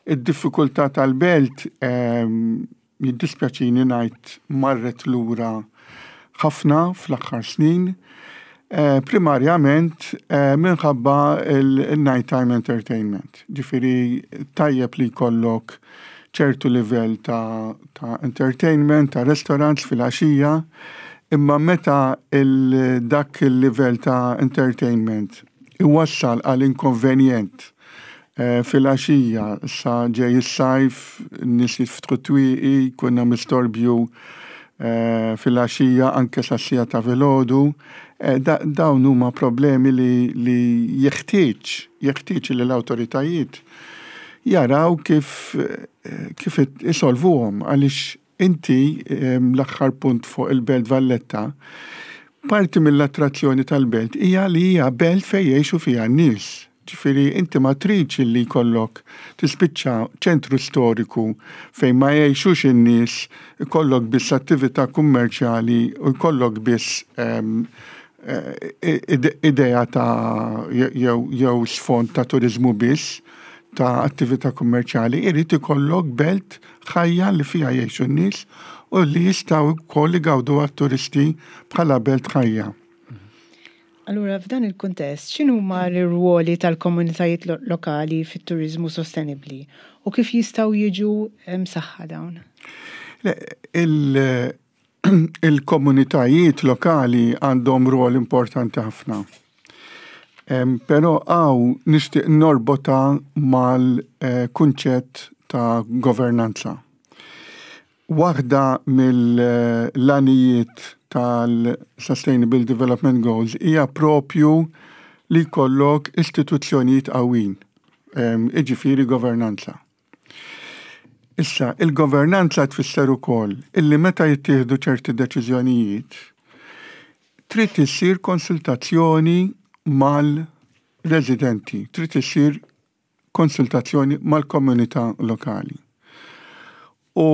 Id-diffikultà tal-belt, jiddispjaċini ngħid, marret lura ħafna fl-aħħar snin, eh, primarjament eh, minħabba il-night time entertainment. Ġifieri tajjeb li jkollok ċertu livell ta', ta entertainment, ta' restaurants fil-għaxija, imma meta il dak il-livell ta' entertainment iwassal għal inkonvenjent eh, fil-għaxija, sa ġej is-sajf, nies jiftħu twieqi, jkun hemm istorbju eh, fil-għaxija anke sas-siegħa ta' filgħodu, eh, dawn huma problemi li, li jeħtieġ, jeħtieġ li l-awtoritajiet jaraw kif kif isolvuhom għaliex inti, l-aħħar punt fuq il-Belt Valletta, parti mill-attrazzjoni tal-belt hija li hija belt fejn jgħixu fiha n-nies. Ġifieri inti ma tridx li jkollok tispiċċa ċentru storiku fejn ma jgħixux in-nies, ikollok biss attività kummerċjali u jkollok biss eh, idea ta' jew jew sfond ta' turizmu biss ta' attività kummerċjali, irid ikollok belt ħajja li fiha jgħixu n-nies u li jistgħu wkoll igawdu għat-turisti bħala belt ħajja. Allura, f'dan il-kuntest, x'inhuma l-irwoli tal-komunitajiet lokali fit-turizmu sostenibbli u kif jistgħu jiġu msaħħa dawn? Il-komunitajiet lokali għandhom rwol importanti ħafna. Però hawn nixtieq norbotha mal-kunċett ta' governanza. Waħda mill-għanijiet tal-Sustainable Development Goals hija propju li jkollok istituzzjonijiet qawwin, iġifieri governanza. Issa, il-governanza tfisser ukoll illi meta jittieħdu ċerti deċiżjonijiet, trid issir konsultazzjoni mal-residenti, trid issir konsultazzjoni mal-komunità lokali. U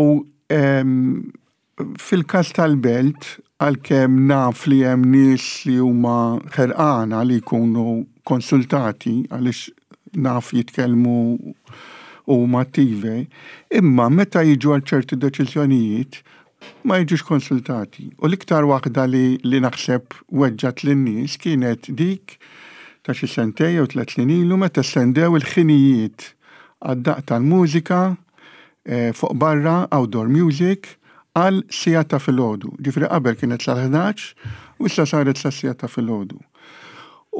fil-każ tal-Belt, għalkemm naf li hemm nies li huma ħerqana li jkunu konsultati, għaliex naf jitkellmu u huma attivi, imma meta jiġu għal ċerti deċiżjonijiet ma jiġux konsultati. U l-iktar waħda li, li naħseb weġġat lin-nies kienet dik ta' xi sentej jew tliet snin ilu, meta estendew il-ħinijiet għad-daq tal-mużika eh, fuq barra, outdoor music, għal siegħa ta' filgħodu. Ġifieri qabel kienet sal-ħdax u issa saret sa siegħa ta' filgħodu.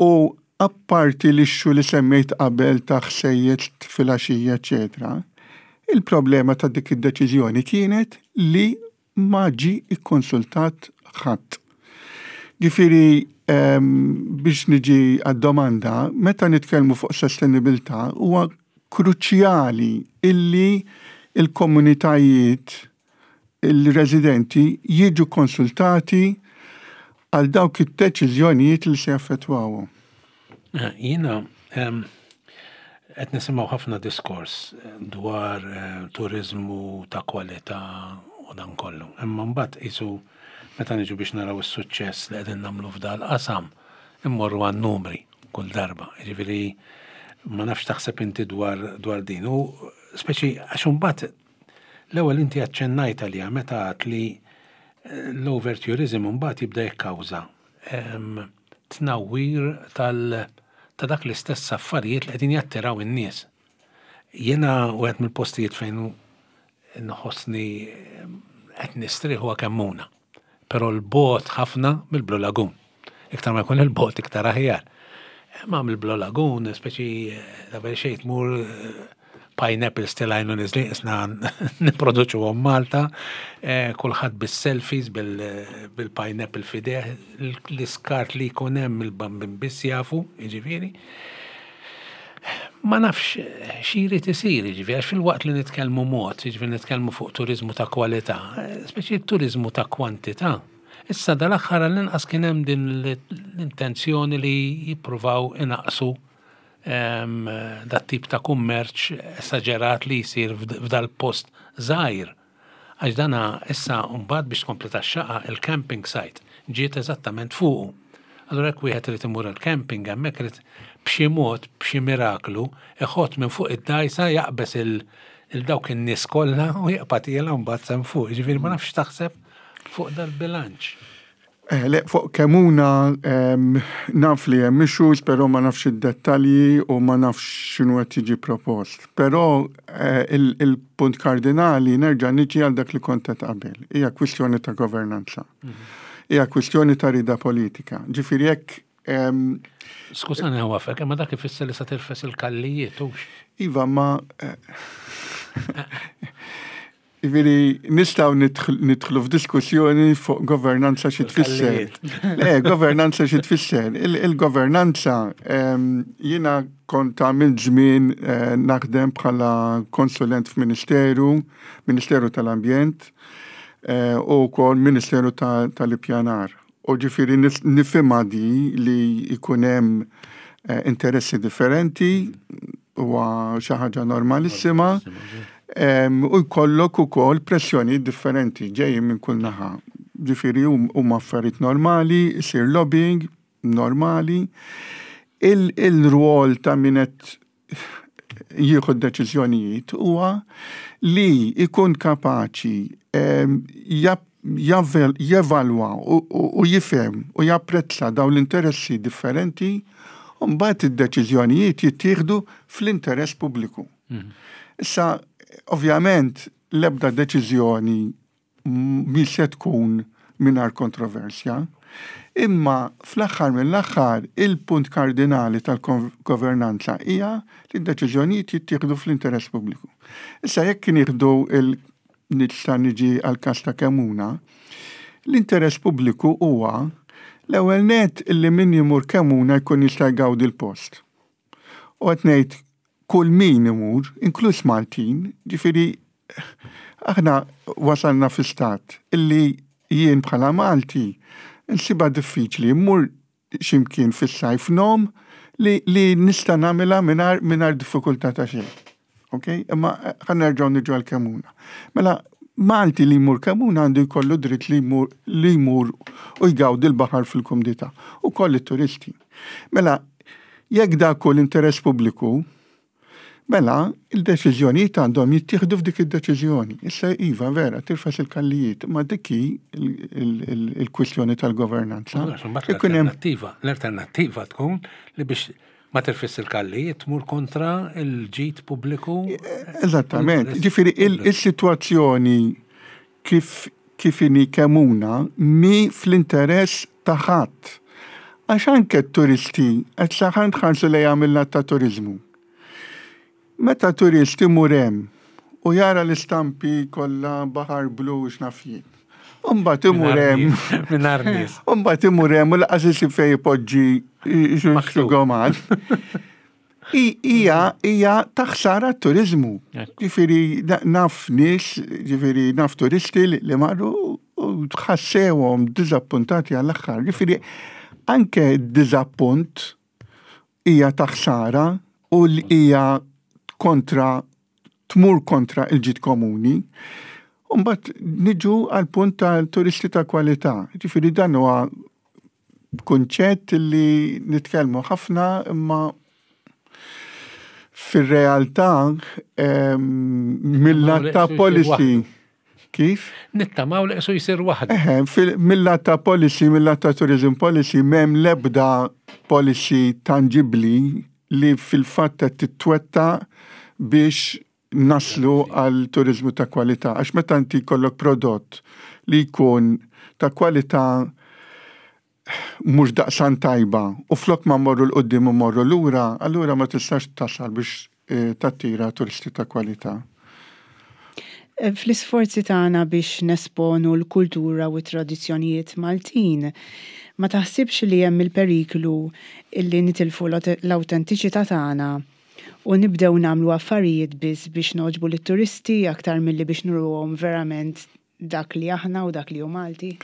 U apparti l-issue li semmejt qabel ta' ħsejjes filgħaxija, eċetera, il-problema ta' dik id-deċiżjoni kienet li ma ġi ikkonsultat ħadd. Ġifieri, biex niġi għad-domanda, meta nitkellmu fuq sostenibilità, huwa kruċjali illi il-komunitajiet, il-residenti jiġu konsultati għal dawk id-deċiżjonijiet li se jaffettwawhom. Eh, jiena qed nisimgħu ħafna diskors dwar eh, turizmu ta' kwalità u dan kollu. Imma mbagħad qisu meta niġu biex naraw is-suċċess li qegħdin nagħmlu f'dal qasam, immorru għan numri kull darba. Jiġifieri ma nafx taħseb inti dwar dwar din. U speċi għax imbagħad l-ewwel inti aċċennajt għalija meta għedt li eh, l-overtourism mbagħad jibda jikkawża tnawwir tal ta' dak l-istess affarijiet li qegħdin jattiraw in-nies. Jiena wieħed mill-postijiet fejn nħossni qed nistrieħ huwa Kemmuna. Però 'l bogħod ħafna mill-Blue Lagoon. Iktar ma jkun 'il bogħod, iktar aħjar. Ma mill-Blue Lagoon, speċi qabel xejn tmur, pineapples telgħin u neżlin, isna nipproduċu Malta, eh, kulħadd bis-selfies, bil-pineapple f'idejh, l-iskart li jkun hemm il-bambin biss jafu, jiġifieri. Ma nafx xi jrid isir, jiġifieri, għax fil-waqt li nitkellmu mod, jiġifieri nitkellmu fuq turizmu ta' kwalità, speċi turizmu ta' kwantità. Issa dal-aħħar għall-inqas kien hemm din l-intenzjoni li jippruvaw inaqsu dat tip ta' kummerċ esaġerat li jisir f'dal post żgħir. Għax dana issa mbagħad, biex tkompli tax-xaqa, il-camping site ġiet eżattament fuqu. Allura jekk wieħed irid imur il-camping hemmhekk, irid b'xi mod, b'xi miraklu, iħott minn fuq id-dajsa, jaqbeż il-dawk in-nies kollha u jaqbad jiela mbagħad s'hemm fuq. Ġifieri ma nafx taħseb fuq dal-bilanċ. Eh, le, fuq Kemmuna naf li hemm issues, però ma nafx id-dettalji u ma nafx x'inhu qed jiġi propost. Però eh, il-punt kardinali, nerġa' niġi għal dak li kont qed qabel. Hija kwistjoni ta' governanza. Mhm. Hija kwistjoni ta' rida politika. Ġifieri jekk Skużani għafek, imma dak ifisser li sa tirfes il-kallijiet, hux? Iva, ma eh, Ġifieri, nistgħu nidħlu f'diskussjoni fuq governanza xi tfisser. Le, governanza xi tfisser. Il-governanza, jiena kont għamilt żmien eh, naħdem bħala konsulent f'Ministeru, Ministeru tal-Ambjent, eh, u wkoll Ministeru tal-Ippjanar. U ġifieri nifhimha di li jkun hemm eh, interessi differenti, huwa xi ħaġa normalissima. U jkollok ukoll pressjoni differenti ġejjin minn kull naħa. Ġifieri huma affarijiet normali, isir lobbying normali. Il-rwol ta' min qed jieħu deċiżjonijiet huwa li jkun kapaċi Jevalwa u jifhem u japprezza dawn l-interessi differenti u mbagħad id-deċiżjonijiet jittieħdu fl-interess pubbliku. Mhm. Issa, ovvjament, l-ebda deċiżjoni mi se tkun mingħajr kontroversja, imma fl-aħħar mill-aħħar il-punt kardinali tal-governanza hija li d-deċiżjonijiet jittieħdu fl-interess pubbliku. Issa, jekk nieħdu il nista' niġi għal każ ta' Kemmuna, l-interess pubbliku huwa l-ewwel net illi min jimur Kemmuna jkun jista' jgawdi l-post. U qed ngħid kull min imur, inkluż Maltin, ġifieri aħna wasalna fi stat illi jien bħala Malti nsibha diffiċli mmur ximkien fis-sajf ngħum li, li nista' nagħmilha mingħajr mingħajr diffikultà ta' xejn. Ok? Imma ħa nerġgħu niġu għal Kemmuna. Mela, Malti li jmur Kemmuna għandu jkollu dritt li jmur li jmur u jgawdi l-baħar fil-kumdità u koll it-turisti. Mela, jekk dak hu l-interess pubbliku, mela il-deċiżjonijiet għandhom jittieħdu f'dik id-deċiżjoni. Issa iva vera, tirfes il-kallijiet, ma dik hi il-kwistjoni tal-governanza. L-alternattiva, l-alternattiva tkun li biex ma tirfis il-kallijiet tmur kontra il-ġid pubbliku. Eżattament. Ġifieri il-sitwazzjoni kif kif inhi Kemmuna mhi fl-interess ta' ħadd. Għax anke t-turisti qed saħan tħarsu lejha mill ta' turizmu. Meta turist imur hemm u jara l-istampi kollha baħar blu, x'naf jien. Umbagħad imur hemm. Mingħajr nies. Umbagħad imur hemm u lanqas isib fejn ipoġġi xugoman. Hija hija ta' ħsara t-turizmu. Ġifieri naf nies, ġifieri naf turisti li marru u tħassewhom diżappuntati għall-aħħar. Ġifieri anke d-diżappunt hija ta' ħsara u li hija kontra tmur kontra il-ġid komuni. Umbagħad niġu għal punt tal-turisti ta' kwalità. Ġifieri dan huwa kunċett li nitkellmu ħafna, imma fir-realtà mill-lat ta' policy. Kif? Nittamaw li qisu jsir waħdu. Eħe, mill-lat ta' policy, mill-lat ta' tourism policy, m'hemm l-ebda policy tangibli li fil-fatt qed titwettaq biex naslu għal turizmu ta' kwalità. Għax meta inti jkollok prodott li jkun ta' kwalità mhux daqstant tajba u flok ma morru 'l quddiem u morru lura, allura ma tistax tasal biex eh, tattira turisti ta' kwalità. Eh, fl-isforzi tagħna biex nesponu l-kultura u t-tradizzjonijiet Maltin, ma taħsibx li hemm il-periklu illi nitilfu l-awtentiċità tagħna u nibdew nagħmlu affarijiet biss biex nogħġbu lit-turisti aktar milli biex nuruhom verament dak li aħna u dak li hu Malti?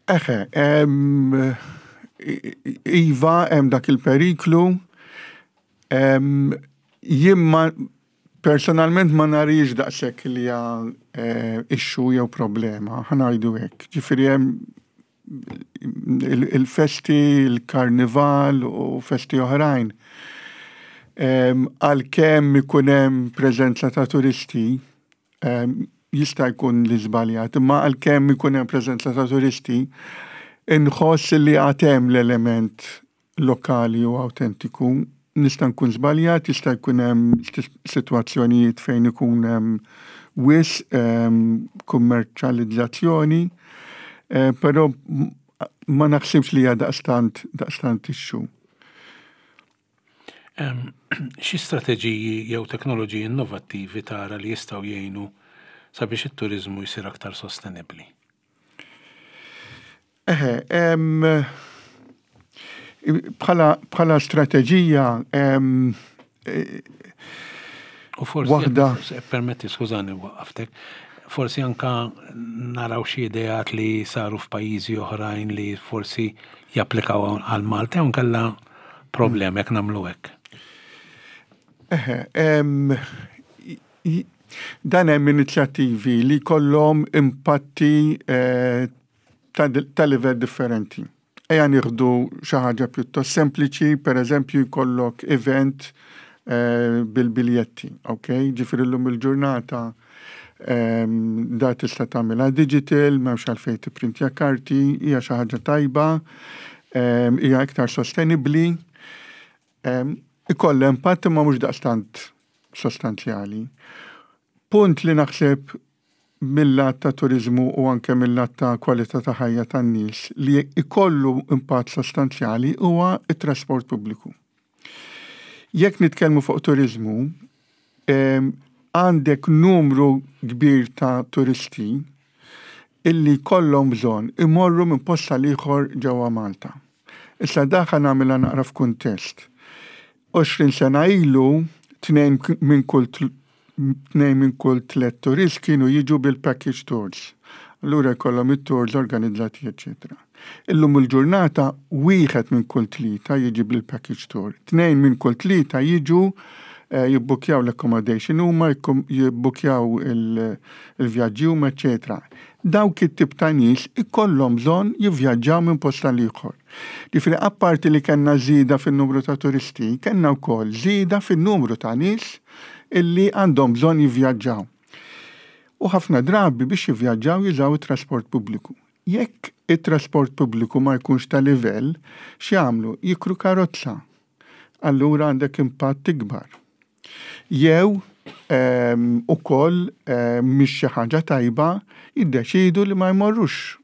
Eħe, iva, hemm dak il-periklu. Jien ma personalment ma narix daqshekk li hija eh, issue jew problema, ħa ngħidu hekk. Ġifieri hemm il-festi, il-karnival u festi oħrajn. Għalkemm ikun hemm preżenza ta' turisti, jista' jkun li żbaljat, imma għalkemm ikun hemm preżenza ta' turisti, inħoss li għad hemm l-element lokali u autentiku. Nista' nkun żbaljat, jista' jkun hemm sitwazzjonijiet fejn ikun hemm wisq kummerċjalizzazzjoni, eh, però ma naħsibx li hija daqstant daqstant issue. Xi strateġiji jew teknoloġiji innovattivi tara li jistgħu jgħinu sabiex it-turizmu jsir aktar sostenibbli? Eħe, bħala, bħala strateġija U forsi waħda. Permetti, skużani, waqaftek. Forsi anka naraw xi ideat li saru f'pajjiżi oħrajn li forsi japplikaw għal Malta jew nkella problem jekk nagħmlu hekk. Eħe, dan hemm inizjattivi li kollhom impatti eh, ta' livell differenti. Ejja nieħdu xi ħaġa pjuttost sempliċi, per eżempju jkollok event eh, bil-biljetti, ok? Ġifieri llum il-ġurnata Ehm, da tista' tagħmilha digital, m'hemmx għalfejn tipprintja karti, hija xi ħaġa tajba, ehm, hija iktar sostenibbli. Ehm, ikollha impatt imma mhux daqstant sostanzjali. Punt li naħseb mill-lat ta' turizmu u anke mill-lat ta' kwalità ta' ħajja tan-nies li ikollu impatt sostanzjali huwa it-trasport pubbliku. Jekk nitkellmu fuq turizmu, għandek numru kbir ta' turisti illi kollhom bżonn imorru minn post għal ieħor ġewwa Malta. Issa daħħa nagħmilha naqra f'kuntest. għoxrin sena ilu, tnejn minn kull tnejn minn kull tliet turist kienu jiġu bil-package tours. Allura jkollhom it-tours organizzati, eċetera. Illum il-ġurnata wieħed minn kull tlieta jiġi bil-package tour. Tnejn minn kull tlieta jiġu eh, jibbukjaw l-accommodation huma, jibbukjaw il-vjaġġi huma, eċetera. Dawk it-tip ta' nies ikollhom bżonn jivvjaġġaw minn post għal ieħor. Ġifieri apparti li kellna żieda fin-numru ta' turisti, kellna wkoll żieda fin-numru ta' nies illi għandhom bżonn jivvjaġġaw. U ħafna drabi biex jivvjaġġaw jużaw it-trasport pubbliku. Jekk it-trasport pubbliku ma jkunx ta' livell, x'jagħmlu? Jikru karozza. Allura għandek impatt ikbar. Jew ehm, ukoll ehm, mhix xi ħaġa tajba, jiddeċidu li ma jmorrux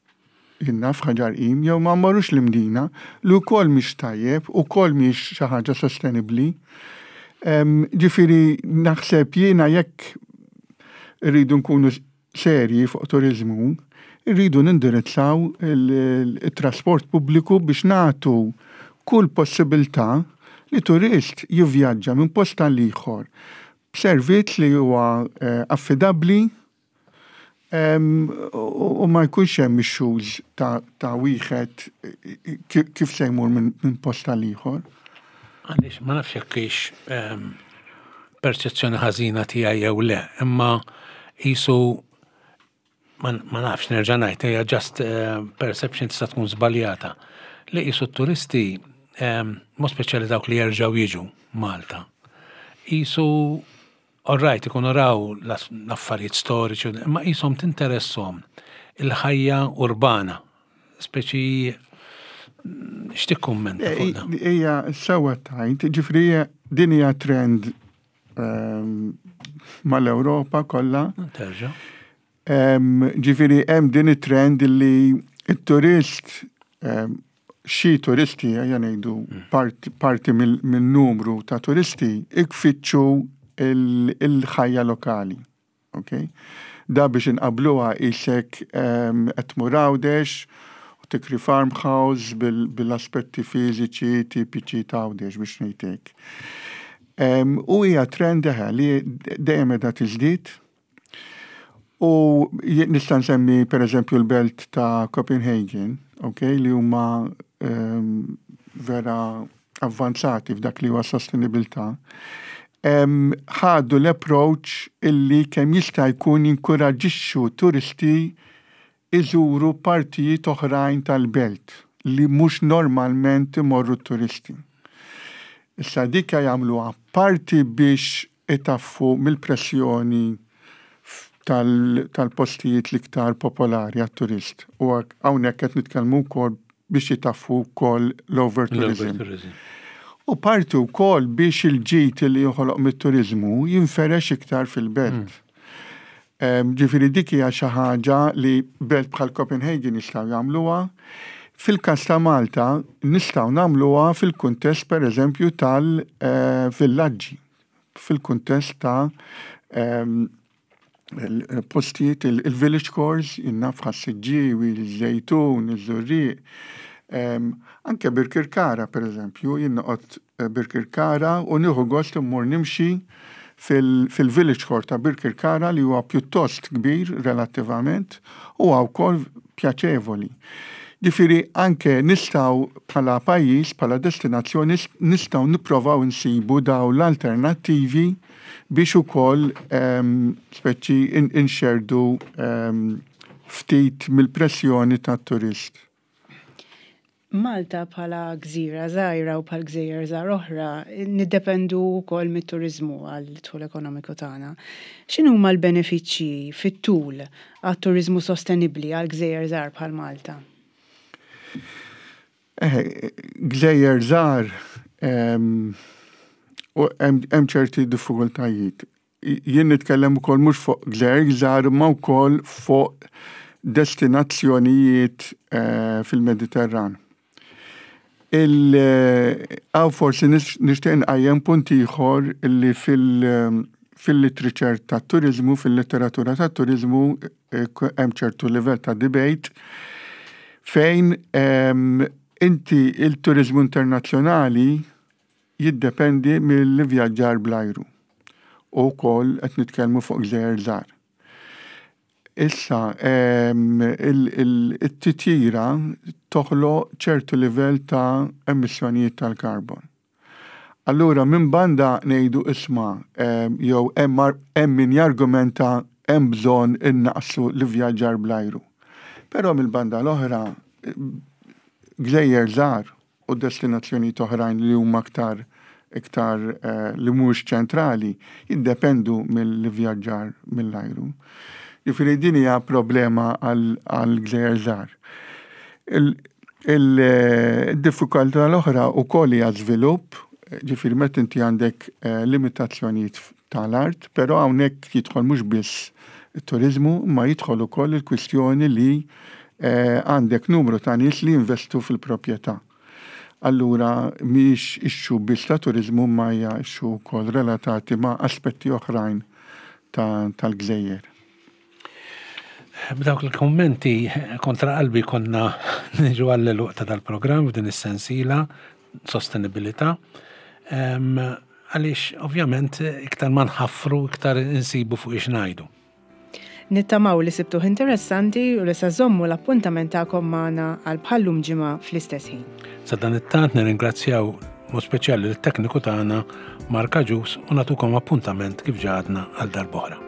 jiena f'Ħaġar Qim jew ma jmorrux l-Imdina, li wkoll mhix tajjeb, ukoll mhix xi ħaġa sostenibbli. Ehm, ġifieri naħseb jiena jekk irridu nkunu serji fuq turizmu, irridu nindirizzaw il-trasport pubbliku biex nagħtu kull possibilità li turist jivvjaġġa minn post għal ieħor b'servizz li huwa eh, affidabbli u ma jkunx hemm issues ta', ta wieħed kif se jmur minn post għal ieħor. Għaliex ma nafx jekk hix perċezzjoni ħażina tiegħi jew le, imma qisu ma nafx, nerġa' ngħid, hija just eh, perception, tista' tkun żbaljata. Li qisu t-turisti, mod speċjali dawk li jerġgħu jiġu Malta, qisu, all right, ikunu raw l-affarijiet storiċi, imma qishom tinteressom il-ħajja urbana, speċi. X'tikkummenta fuq dan? Hija sewwa tajt, ġifieri din hija trend ehm, mal-Ewropa kollha. Terġa'. Ehm, ġifieri hemm din it-trend li it-turist, ehm, xi turisti, ejja ngħidu parti, parti mill-numru ta' turisti ikfittxu il-ħajja lokali. Okay? Da biex inqabluha qisek qed tmur Għawdex u tikri farmhouse bil-aspetti fiżiċi tipiċi ta' Għawdex, biex ngħidlek. U hija trend eħe li dejjem qiegħda tiżdied. U nista' nsemmi per eżempju l-belt ta' Copenhagen, okay, li huma vera avvanzati f'dak li huwa sostenibilità. Ħadu l-approach illi kemm jista' jkun jinkoraġixxu turisti iżuru partijiet oħrajn tal-belt li mhux normalment imorru turisti. Issa dika jagħmluha parti biex itaffu mill-pressjoni tal-postijiet l-iktar popolari għat-turist. U hawnhekk qed nitkellmu wkoll biex jitaffu wkoll l-overtourism. U parti wkoll biex il-ġid li joħoloq mit-turizmu jinferex iktar fil-belt. Mm. Ġifieri dik hija xi ħaġa li belt bħal Copenhagen jistgħu jagħmluha. Fil-każ ta' Malta nistgħu nagħmluha fil-kuntest pereżempju tal-villaġġi, fil-kuntest ta' postijiet il-village cores, jiena naf Ħas-Siġġiewi, il-Żejtun, iż-Żurrieq, anke Birkirkara per eżempju, jien noqgħod Birkirkara u nieħu gost immur nimxi fil-village core ta' Birkirkara li huwa pjuttost kbir relattivament u wkoll pjaċevoli. Ġifieri anke nistgħu bħala pajjiż, bħala destinazzjoni, nistgħu nipprovaw insibu daw l-alternattivi biex ukoll speċi inxerdu ftit mill-pressjoni tat-turist. Malta bħala gżira żgħira u bħal gżejjer żgħar oħra niddependu wkoll mit-turiżmu għal dħul ekonomiku tagħna. X'inhuma l-benefiċċji fit-tul għat-turiżmu sostenibbli għal gżejjer żgħar bħal Malta? Eh, gżejjer żgħar u hemm ċerti diffikultajiet. Jien nitkellem ukoll mhux fuq gżejjer żgħar, imma wkoll fuq destinazzjonijiet eh, fil-Mediterran. Hawn forsi nixtieq nqajjem punt ieħor illi fil-literature ta' turiżmu, fil-letteratura ta' turiżmu, eh, hemm ċertu livell ta' debate fejn inti il-turizmu internazzjonali jiddependi mill-vjaġġar bl-ajru. U wkoll qed nitkellmu fuq gżejjer żgħar. Issa, it-titjira toħloq ċertu livell ta' emissjonijiet tal-karbon. Allura, minn banda ngħidu, isma', jew hemm min jargumenta hemm bżonn innaqsu l-vjaġġar bl-ajru. Però mill-banda l-oħra, gżejjer żgħar u destinazzjonijiet oħrajn li huma aktar iktar eh, li mhux ċentrali jiddependu mill-vjaġġar mill-ajru. Jiġifieri din hija problema għal gżejjer żgħar. Il-diffikultà l-oħra wkoll hija żvilupp, ġifieri meta inti għandek eh, limitazzjonijiet tal-art, però hawnhekk jidħol mhux biss it-turizmu, ma jidħol ukoll il-kwistjoni li eh, għandek numru ta' nies li investu fil-proprjetà. Allura mhix issue biss ta' turizmu, ma hija issue wkoll relatati ma' aspetti oħrajn tal-gżejjer. B'dawk il-kommenti kontra qalbi konna niġu għall-għeluq ta' dal-programm f'din is-sensiela sostenibilità. Għaliex ovvjament iktar ma nħaffru, iktar insibu fuq ix ngħidu. Nittamaw li sibtuh interessanti u li sa żommu l-appuntament tagħkom magħna għal bħallum ġimgħa fl-istess ħin. Sa dan it-tant nirringrazzjaw mod speċjali l-tekniku tagħna Marka Ġus u nagħtukom appuntament kif ġadna għal darb'oħra.